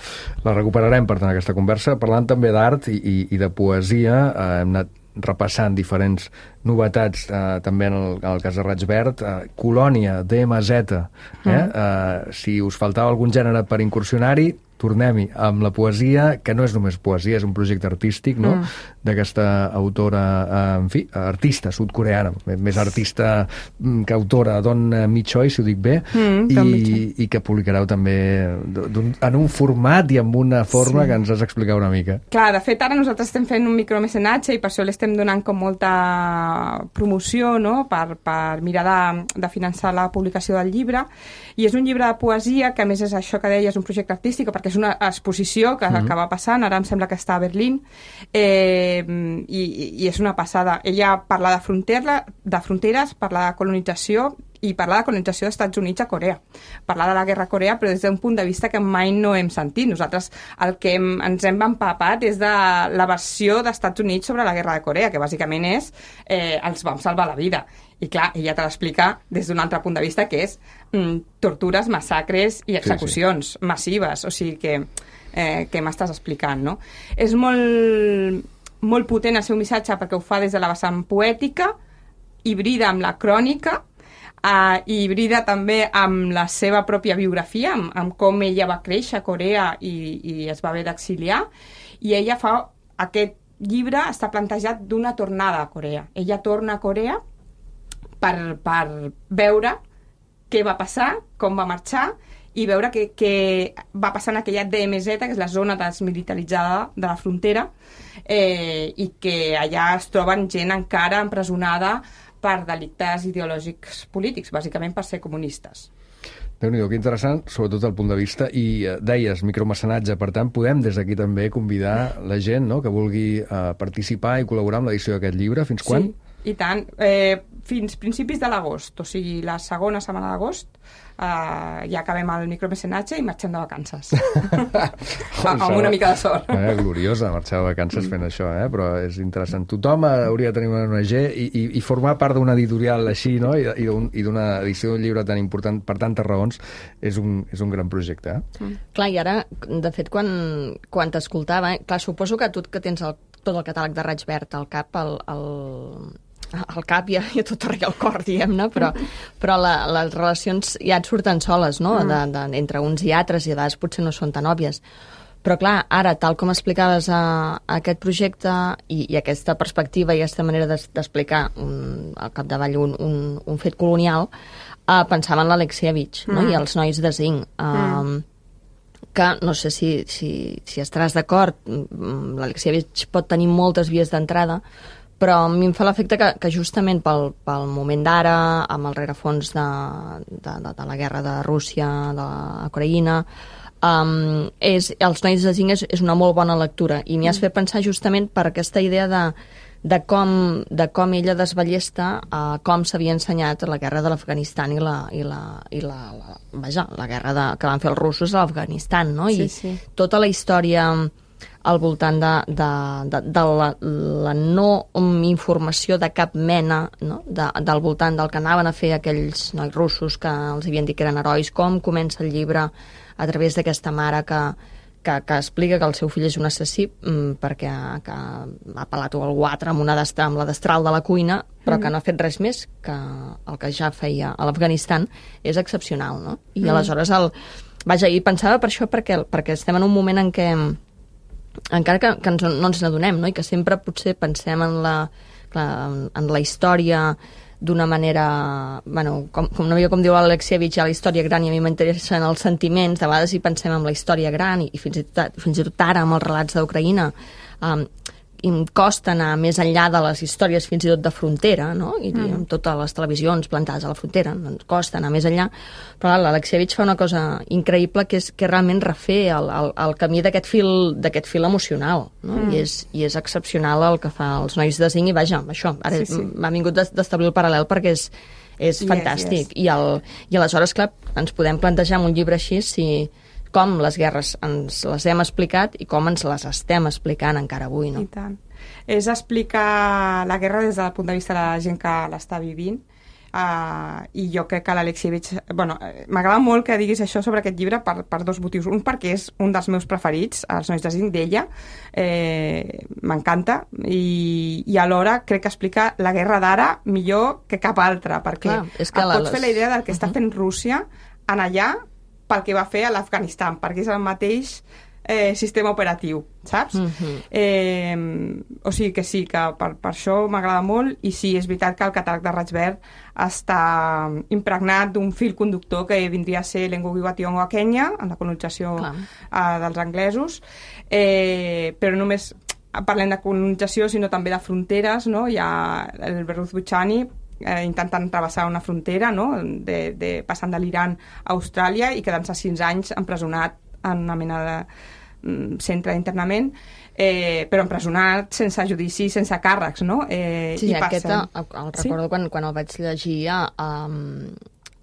La recuperarem, per tant, aquesta conversa, parlant també d'art i, i, i de poesia. Eh, hem anat repassant diferents novetats, eh, també en el, en el cas de Raig Verd. Eh, Colònia, D M Z. Eh? Mm. Eh, si us faltava algun gènere per incursionar-hi, tornem-hi amb la poesia, que no és només poesia, és un projecte artístic, no? Mm. D'aquesta autora, eh, en fi, artista sud-coreana, més artista que autora, Don Mi Choi, si ho dic bé, mm, i, i que publicareu també en un format i amb una forma sí. que ens has d'explicar una mica. Clar, de fet, ara nosaltres estem fent un micromecenatge i per això l'estem donant com molta promoció, no?, per, per mirar de, de finançar la publicació del llibre, i és un llibre de poesia que, a més, és això que deia, és un projecte artístic, perquè és una exposició que, mm-hmm. que va passant, ara em sembla que està a Berlín, eh, i, i és una passada. Ella parla de, frontera, de fronteres, parla de colonització i parla de colonització dels Estats Units a Corea. Parla de la guerra a Corea, però des d'un punt de vista que mai no hem sentit. Nosaltres el que hem, ens hem empapat és de la versió dels Estats Units sobre la guerra de Corea, que bàsicament és eh, els vam salvar la vida. I clar, ella te l'explica des d'un altre punt de vista, que és mm, tortures, massacres i execucions sí, sí. massives. O sigui que, eh, que m'estàs explicant, no? És molt, molt potent el seu missatge perquè ho fa des de la vessant poètica, hibrida amb la crònica, Uh, i hibrida també amb la seva pròpia biografia, amb, amb com ella va créixer a Corea i, i es va haver d'exiliar, i ella fa aquest llibre està plantejat d'una tornada a Corea. Ella torna a Corea per, per veure què va passar, com va marxar, i veure què, què va passar en aquella D M Z, que és la zona desmilitaritzada de la frontera, eh, i que allà es troben gent encara empresonada per delictes ideològics polítics, bàsicament per ser comunistes. Déu-n'hi-do, que interessant, sobretot el punt de vista. I eh, deies, micromecenatge, per tant, podem des d'aquí també convidar la gent, no?, que vulgui eh, participar i col·laborar amb l'edició d'aquest llibre. Fins quan? Sí, i tant. Eh, fins principis de l'agost, o sigui, la segona setmana d'agost, Uh, ja acabem el micromecenatge i marxem de vacances. Amb una mica de sort. Eh, gloriosa, marxar de vacances fent això, eh? Però és interessant. Tothom hauria de tenir una O N G i, i, i formar part d'una editorial així, no?, i, i d'una edició d'un llibre tan important per tantes raons, és un, és un gran projecte. Eh? Mm. Clar, i ara, de fet, quan, quan t'escoltava, eh? Clar, suposo que tu que tens el, tot el catàleg de Raig Verd al cap, el, el, al cap i a, i a tot arreu al cor, diguem-ne, però, però la, les relacions ja et surten soles, no?, de, de, entre uns i altres, i a vegades potser no són tan òbvies. Però clar, ara, tal com explicaves a, a aquest projecte i, i aquesta perspectiva i aquesta manera d'explicar un, al capdavall un, un, un fet colonial, eh, pensava en l'Alexievich, mm. no?, i els nois de zinc. Eh, mm. que no sé si, si, si estaràs d'acord, l'Alexievich pot tenir moltes vies d'entrada, però a mi em fa l'efecte que, que justament pel, pel moment d'ara, amb el rerefons de, de, de, de la guerra de Rússia, de l'Ucraïna, um, és, els nois de zinc és, és una molt bona lectura, i m'hi has fet pensar justament per aquesta idea de, de, com, de com ella desballesta uh, com s'havia ensenyat la guerra de l'Afganistan i, la, i, la, i la, la, vaja, la guerra de, que van fer els russos a l'Afganistan, no? I sí, sí. tota la història al voltant de, de, de, de la, la no informació de cap mena, no?, de, del voltant del que anaven a fer aquells nois russos que els havien dit que eren herois, com comença el llibre a través d'aquesta mare que, que, que explica que el seu fill és un assassí mm, perquè que ha pelat algú altre amb, una destra, amb la destral de la cuina, però mm. que no ha fet res més, que el que ja feia a l'Afganistan és excepcional, no? I mm. aleshores el... Vaja, i pensava per això perquè, perquè estem en un moment en què encara que, que ens, no ens n'adonem, no?, i que sempre potser pensem en la clar, en, en la història d'una manera, bueno, com, com una mica com diu l'Alexievich, hi ha la història gran i a mi m'interessen els sentiments, de vegades hi pensem en la història gran i, i fins, i tot, fins i tot ara amb els relats d'Ucraïna um, i em costa anar més enllà de les històries fins i tot de frontera, no? I mm. amb totes les televisions plantades a la frontera, ens costa anar més enllà, però l'Alexievich fa una cosa increïble que és que realment refer el, el, el camí d'aquest fil, d'aquest fil emocional, no? Mm. I, és, i és excepcional el que fa els nois de Zinc i vaja, això, ara sí, sí. m'ha vingut d'establir el paral·lel perquè és, és yes, fantàstic. Yes. I, el, I aleshores, clar, ens podem plantejar en un llibre així si com les guerres ens les hem explicat i com ens les estem explicant encara avui, no? I tant. És explicar la guerra des del punt de vista de la gent que l'està vivint, uh, i jo crec que l'Alexievich... Bueno, m'agrada molt que diguis això sobre aquest llibre per, per dos motius. Un, perquè és un dels meus preferits, Els nois de Zinc, d'ella, eh, m'encanta, i, i alhora crec que explica la guerra d'ara millor que cap altra, perquè Clar, és que et pots les... fer la idea del que està fent Rússia en allà pel que va fer a l'Afganistan, perquè és el mateix eh, sistema operatiu, saps? Mm-hmm. eh, o sigui que sí, que per, per això m'agrada molt, i sí, és veritat que el catàleg de Raig Verd està impregnat d'un fil conductor que vindria a ser l'Engugiwationgo a Kenya, en la colonització eh, dels anglesos, eh, però només parlem de colonització, sinó també de fronteres, no? Hi ha el Berruz Buchani, Eh, intentant travessar una frontera, no? de, de, passant de l'Iran a Austràlia i quedant-se sis anys empresonat en una mena de mm, centre d'internament, eh, però empresonat sense judici, sense càrrecs, no? Eh, sí, i aquest el, el recordo sí? quan, quan el vaig llegir, um,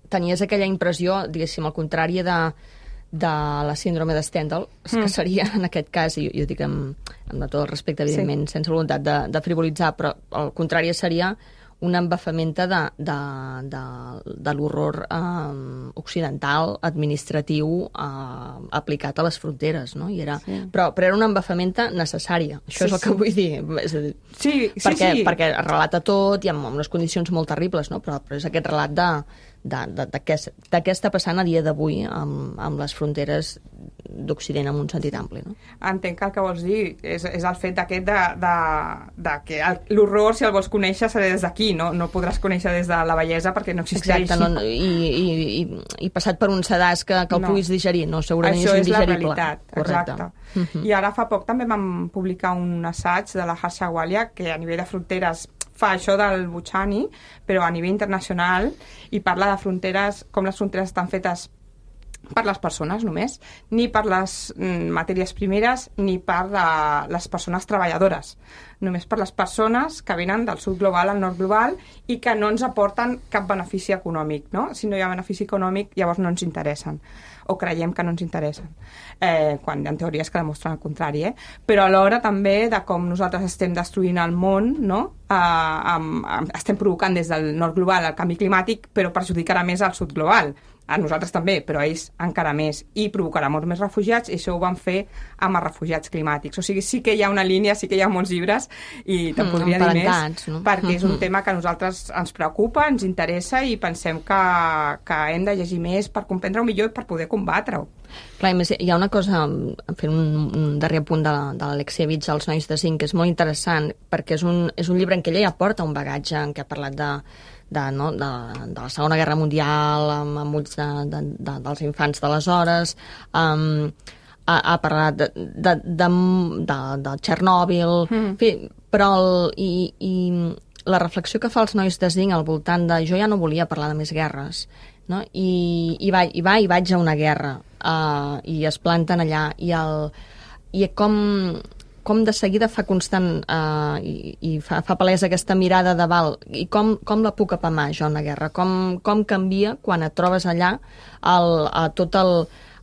tenies aquella impressió, diguéssim, al contrari de, de la síndrome de Stendhal, mm. que seria, en aquest cas, i jo, jo dic amb, amb tot el respecte, evidentment, sí. sense voluntat de, de frivolitzar, però al contrari seria una embafamenta de, de, de, de l'horror eh, occidental, administratiu, eh, aplicat a les fronteres, no? I era, sí. però, però era una embafamenta necessària, això sí, és el que sí. vull dir. És a dir sí, sí, perquè, sí. perquè relata tot i amb unes condicions molt terribles, no? però, però és aquest relat de, de, de, de, què, de què està passant a dia d'avui amb, amb les fronteres d'Occident en un sentit ampli, no? Entenc que el que vols dir és, és el fet d'aquest de, de, de que l'horror, si el vols conèixer, serà des d'aquí, no? No podràs conèixer des de la bellesa perquè no existeix. Exacte, no, i, i, i, i passat per un sedàs que, que el no. puguis digerir, no, segurament això és indigerible. Això és la realitat, correcte. Exacte. Uh-huh. I ara fa poc també vam publicar un assaig de la Harsha Walia que a nivell de fronteres fa això del Buchani, però a nivell internacional, i parla de fronteres, com les fronteres estan fetes per les persones només, ni per les mm, matèries primeres, ni per la, les persones treballadores. Només per les persones que venen del sud global al nord global i que no ens aporten cap benefici econòmic, no? Si no hi ha benefici econòmic, llavors no ens interessen, o creiem que no ens interessen, eh, quan hi ha teories que demostren el contrari, eh? Però alhora també de com nosaltres estem destruint el món, no? Eh, amb, amb, estem provocant des del nord global el canvi climàtic, però perjudicarà més al sud global. A nosaltres també, però a ells encara més, i provocarà molts més refugiats, i això ho van fer amb els refugiats climàtics. O sigui, sí que hi ha una línia, sí que hi ha molts llibres, i te'n mm, podria dir més, no? Perquè és un tema que a nosaltres ens preocupa, ens interessa, i pensem que, que hem de llegir més per comprendre-ho millor i per poder combatre-ho. Clar, més, hi ha una cosa, fent un, un darrer punt de, de l'Alexievich, Els nois de Zinc, que és molt interessant, perquè és un, és un llibre en què ella ja porta un bagatge, en què ha parlat de De, no, de, de la Segona Guerra Mundial, amb, amb ulls de, de, de, dels infants d'aleshores, um, ha, ha parlat de, de, de, de, de Txernòbil, mm. en fi, però el, i, i la reflexió que fa els nois de Zinc al voltant de jo ja no volia parlar de més guerres, no? I, i, va, i va i vaig a una guerra, uh, i es planten allà, i, el, i com... com de seguida fa constant eh, i, i fa, fa palesa aquesta mirada de val, i com, com la puc apamar jo una guerra, com, com canvia quan et trobes allà el, a tot el,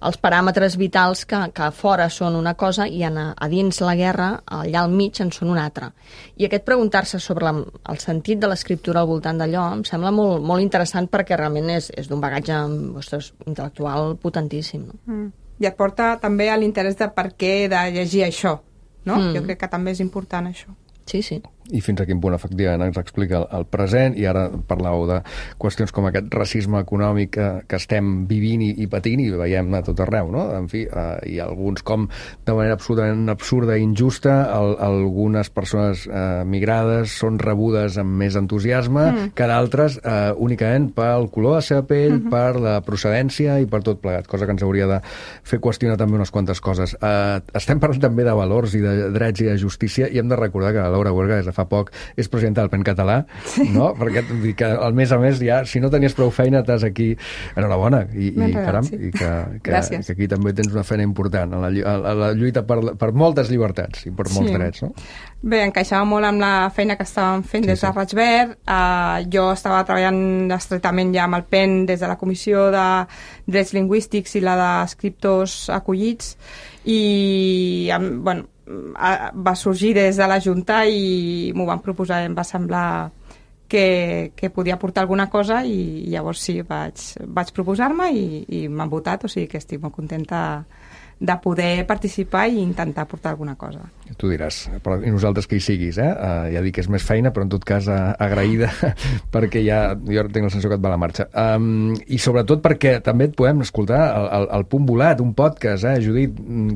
els paràmetres vitals que, que a fora són una cosa i a, a dins la guerra, allà al mig, en són una altra. I aquest preguntar-se sobre la, el sentit de l'escriptura al voltant d'allò em sembla molt, molt interessant perquè realment és, és d'un bagatge ostres, intel·lectual potentíssim. No? Mm. I et porta també a l'interès de per què de llegir això. No? Mm. Jo crec que també és important això. Sí, sí. i fins a quin punt efectivament ens explica el, el present, i ara parlàveu de qüestions com aquest racisme econòmic que, que estem vivint i, i patint i veiem a tot arreu, no? En fi, eh, i alguns com de manera absolutament absurda i injusta, el, algunes persones eh, migrades són rebudes amb més entusiasme mm. que d'altres eh, únicament pel color de la seva pell, mm-hmm. per la procedència i per tot plegat, cosa que ens hauria de fer qüestionar també unes quantes coses. Eh, estem parlant també de valors i de drets i de justícia, i hem de recordar que la Laura Huerga des de fa poc és presidenta del P E N català, sí. no? Perquè que, al mes a mes ja, si no tenies prou feina, t'has aquí... Enhorabona, i, i caram, sí. i que, que, que aquí també tens una feina important en la, en la lluita per, per moltes llibertats i per molts sí. drets, no? Bé, encaixava molt amb la feina que estàvem fent sí, des de sí. Raig Verd. Uh, jo estava treballant estretament ja amb el P E N des de la Comissió de Drets Lingüístics i la d'Escriptors Acollits, i bueno, va sorgir des de la Junta i m'ho van proposar i em va semblar que, que podia aportar alguna cosa, i llavors sí, vaig, vaig proposar-me i, i m'han votat, o sigui que estic molt contenta de poder participar i intentar aportar alguna cosa. Tu diràs, però i nosaltres que hi siguis, eh? Uh, ja dic que és més feina, però en tot cas uh, agraïda, perquè ja, jo tinc la sensació que et va a la marxa. Um, I sobretot perquè també et podem escoltar el, el, el Punt Volat, un podcast, eh, Judit?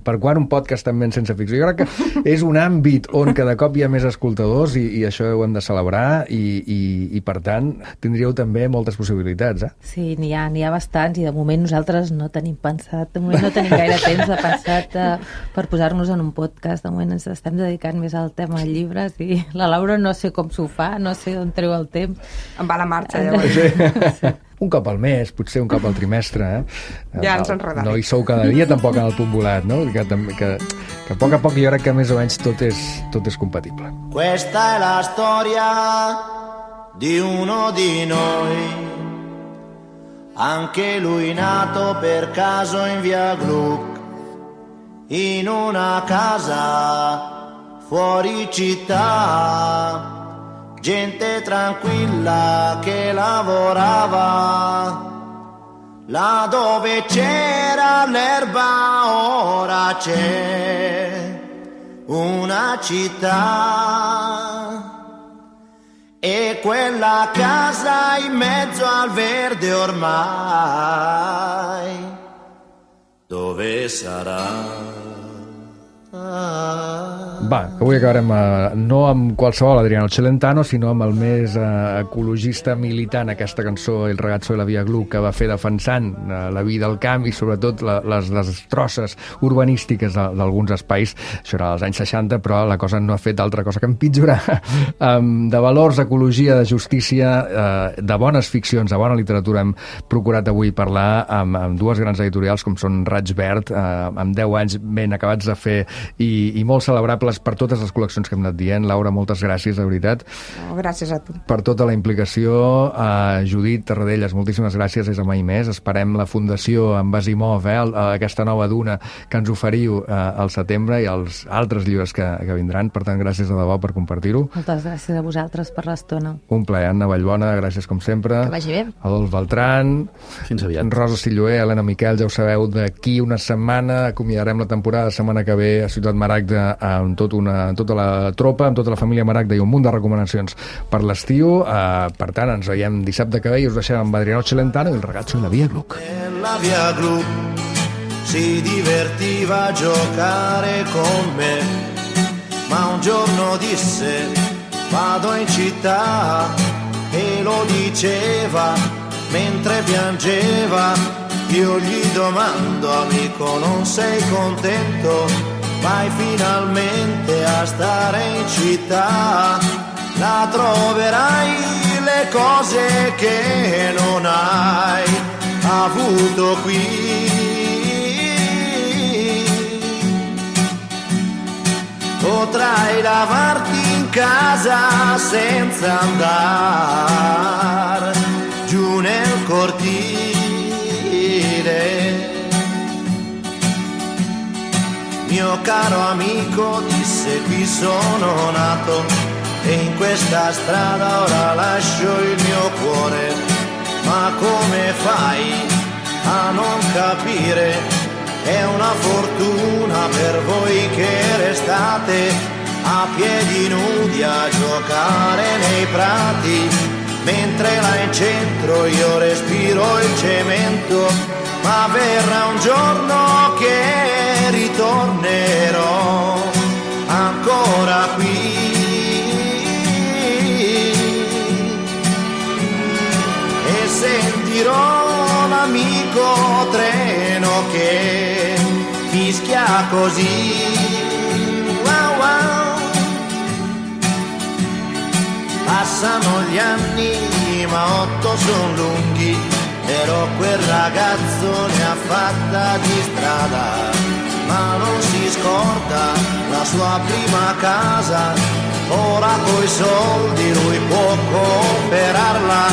Per quan un podcast també en Sense Ficció? Jo crec que és un àmbit on cada cop hi ha més escoltadors, i, i això ho hem de celebrar, i, i, i per tant tindríeu també moltes possibilitats, eh? Sí, n'hi ha, n'hi ha bastants, i de moment nosaltres no tenim pensat, de moment no tenim gaire temps de pensat uh, per posar-nos en un podcast. De moment ens estem dedicant més al tema de llibres, i la Laura no sé com s'ho fa, no sé on treu el temps. Em va a la marxa, llavors. Sí. Un cop al mes, potser un cop al trimestre, eh? Ja ens enredarem. No hi sou cada dia tampoc en el Punt Volat, no? Que, que, que a poc a poc jo crec que més o menys tot és, tot és compatible. Questa è la storia di uno di noi, anche lui nato per caso in via Gluck, in una casa fuori città, gente tranquilla che lavorava, là dove c'era l'erba ora c'è una città, e quella casa in mezzo al verde ormai dove sarà? Va, avui acabarem eh, no amb qualsevol Adriano Celentano, sinó amb el més eh, ecologista militant, aquesta cançó El ragazzo de la via Gluck, que va fer defensant eh, la vida al camp i sobretot la, les destrosses urbanístiques d'alguns espais. Això era als anys seixanta, però la cosa no ha fet altra cosa que empitjorar. um, de valors, ecologia, de justícia, eh, de bones ficcions, de bona literatura, hem procurat avui parlar amb, amb dues grans editorials com són Raig Verd, eh, amb deu anys ben acabats de fer i, i molt celebrables per totes les col·leccions que hem anat dient. Laura, moltes gràcies, de veritat. Oh, gràcies a tu. Per tota la implicació. Uh, Judit Tarradellas, moltíssimes gràcies, és a mai més. Esperem la fundació amb Asimov, eh, aquesta nova duna que ens oferiu uh, al setembre, i els altres llibres que, que vindran. Per tant, gràcies de debò per compartir-ho. Moltes gràcies a vosaltres per l'estona. Un plaer. Anna Vallbona, gràcies com sempre. Que vagi bé. Adolf Beltran. Fins aviat. Rosa Silloé, Helena Miquel, ja ho sabeu, d'aquí una setmana acomiadarem la temporada, setmana que ve a Ciutat Maragda amb, tot una, amb tota la tropa, amb tota la família Maragda, i un munt de recomanacions per l'estiu. Uh, per tant, ens veiem dissabte que ve i us deixem amb Adriano Celentano i El ragazzo della via Gluck. La via Gluck si divertiva a giocare con me, ma un giorno disse vado in città, e lo diceva mentre piangeva. Io gli domando, amico, non sei contento? Vai finalmente a stare in città, là troverai le cose che non hai avuto qui. Potrai lavarti in casa senza andare giù nel cortile. Mio caro amico, disse, qui sono nato e in questa strada ora lascio il mio cuore. Ma come fai a non capire? È una fortuna per voi che restate a piedi nudi a giocare nei prati, mentre là in centro io respiro il cemento, ma verrà un giorno che ritornerò ancora qui e sentirò l'amico treno che fischia così. Wow, wow. Passano gli anni ma otto son lunghi, però quel ragazzo ne ha fatta di strada, ma non si scorda la sua prima casa, ora coi soldi lui può comprarla,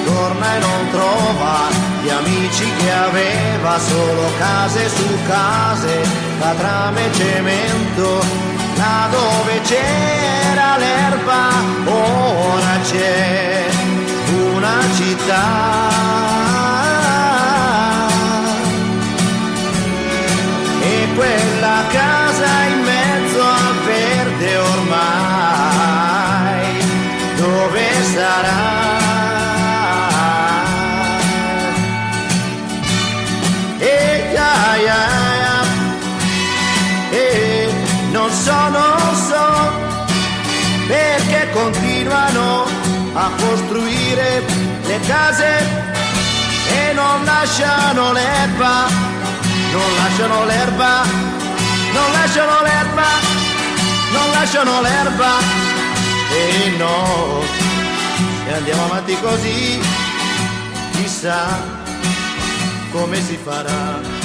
torna e non trova gli amici che aveva, solo case su case, catrame e cemento, là dove c'era l'erba ora c'è una città. Quella casa in mezzo al verde ormai, dove sarà? E ya, ya, ya. E non so, non so perché continuano a costruire le case e non lasciano l'erba. Non lasciano l'erba, non lasciano l'erba, non lasciano l'erba. E no, se andiamo avanti così, chissà come si farà.